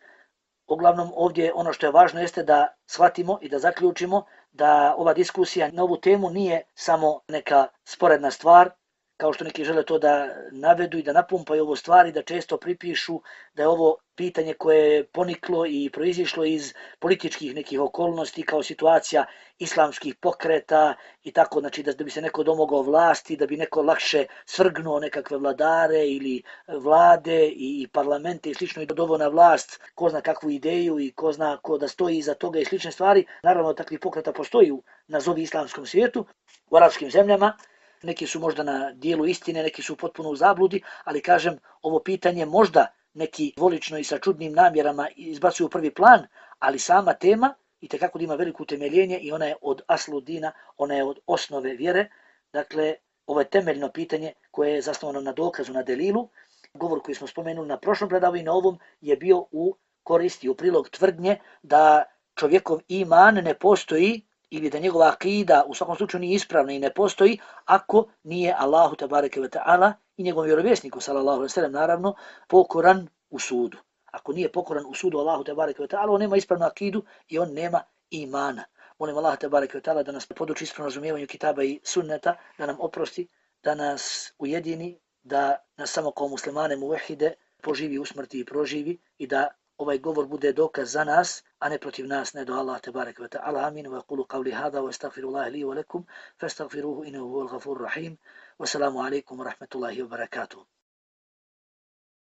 Uglavnom ovdje ono što je važno jeste da shvatimo i da zaključimo da ova diskusija na ovu temu nije samo neka sporedna stvar, kao što neki žele to da navedu i da napumpaju ovo stvari, da često pripišu da je ovo pitanje koje je poniklo i proizišlo iz političkih nekih okolnosti kao situacija islamskih pokreta i tako, znači da, da bi se neko domogao vlasti, da bi neko lakše svrgnuo nekakve vladare ili vlade i, i parlamente i slično i dodovo na vlast ko zna kakvu ideju i ko zna ko da stoji iza toga i slične stvari. Naravno, takvih pokreta postoji u nazovi islamskom svijetu, u arapskim zemljama. Neki su možda na dijelu istine, neki su potpuno u zabludi, ali kažem, ovo pitanje možda neki dvolično i sa čudnim namjerama izbacuju u prvi plan, ali sama tema itekako ima veliko utemeljenje i ona je od aslu dina, ona je od osnove vjere. Dakle, ovo je temeljno pitanje koje je zasnovano na dokazu, na delilu. Govor koji smo spomenuli na prošlom predavanju i na ovom je bio u koristi, u prilog tvrdnje da čovjekov iman ne postoji ili da njegova akida u svakom slučaju nije ispravna i ne postoji ako nije Allahu tebareke ve ta'ala i njegovom vjerovjesniku sallallahu alejhi ve sellem naravno pokoran u sudu. Ako nije pokoran u sudu Allahu tebareke ve ta'ala, on nema ispravnu akidu i on nema imana. Molim Allah tebareke ve ta'ala da nas poduči ispravnom razumijevanju kitaba i sunneta, da nam oprosti, da nas ujedini, da nas samo kao muslimane muvahide poživi u smrti i proživi i da ovaj govor bude dokaz za nas, a ne protiv nas, ne do Allah tebareke ve ta'ala. Amin. Wa yaqulu qawli hadha wa astaghfirullaha li wa lakum fastaghfiruhu innahu huwal ghafurur rahim. Wa assalamu alaykum wa rahmatullahi wa barakatuh.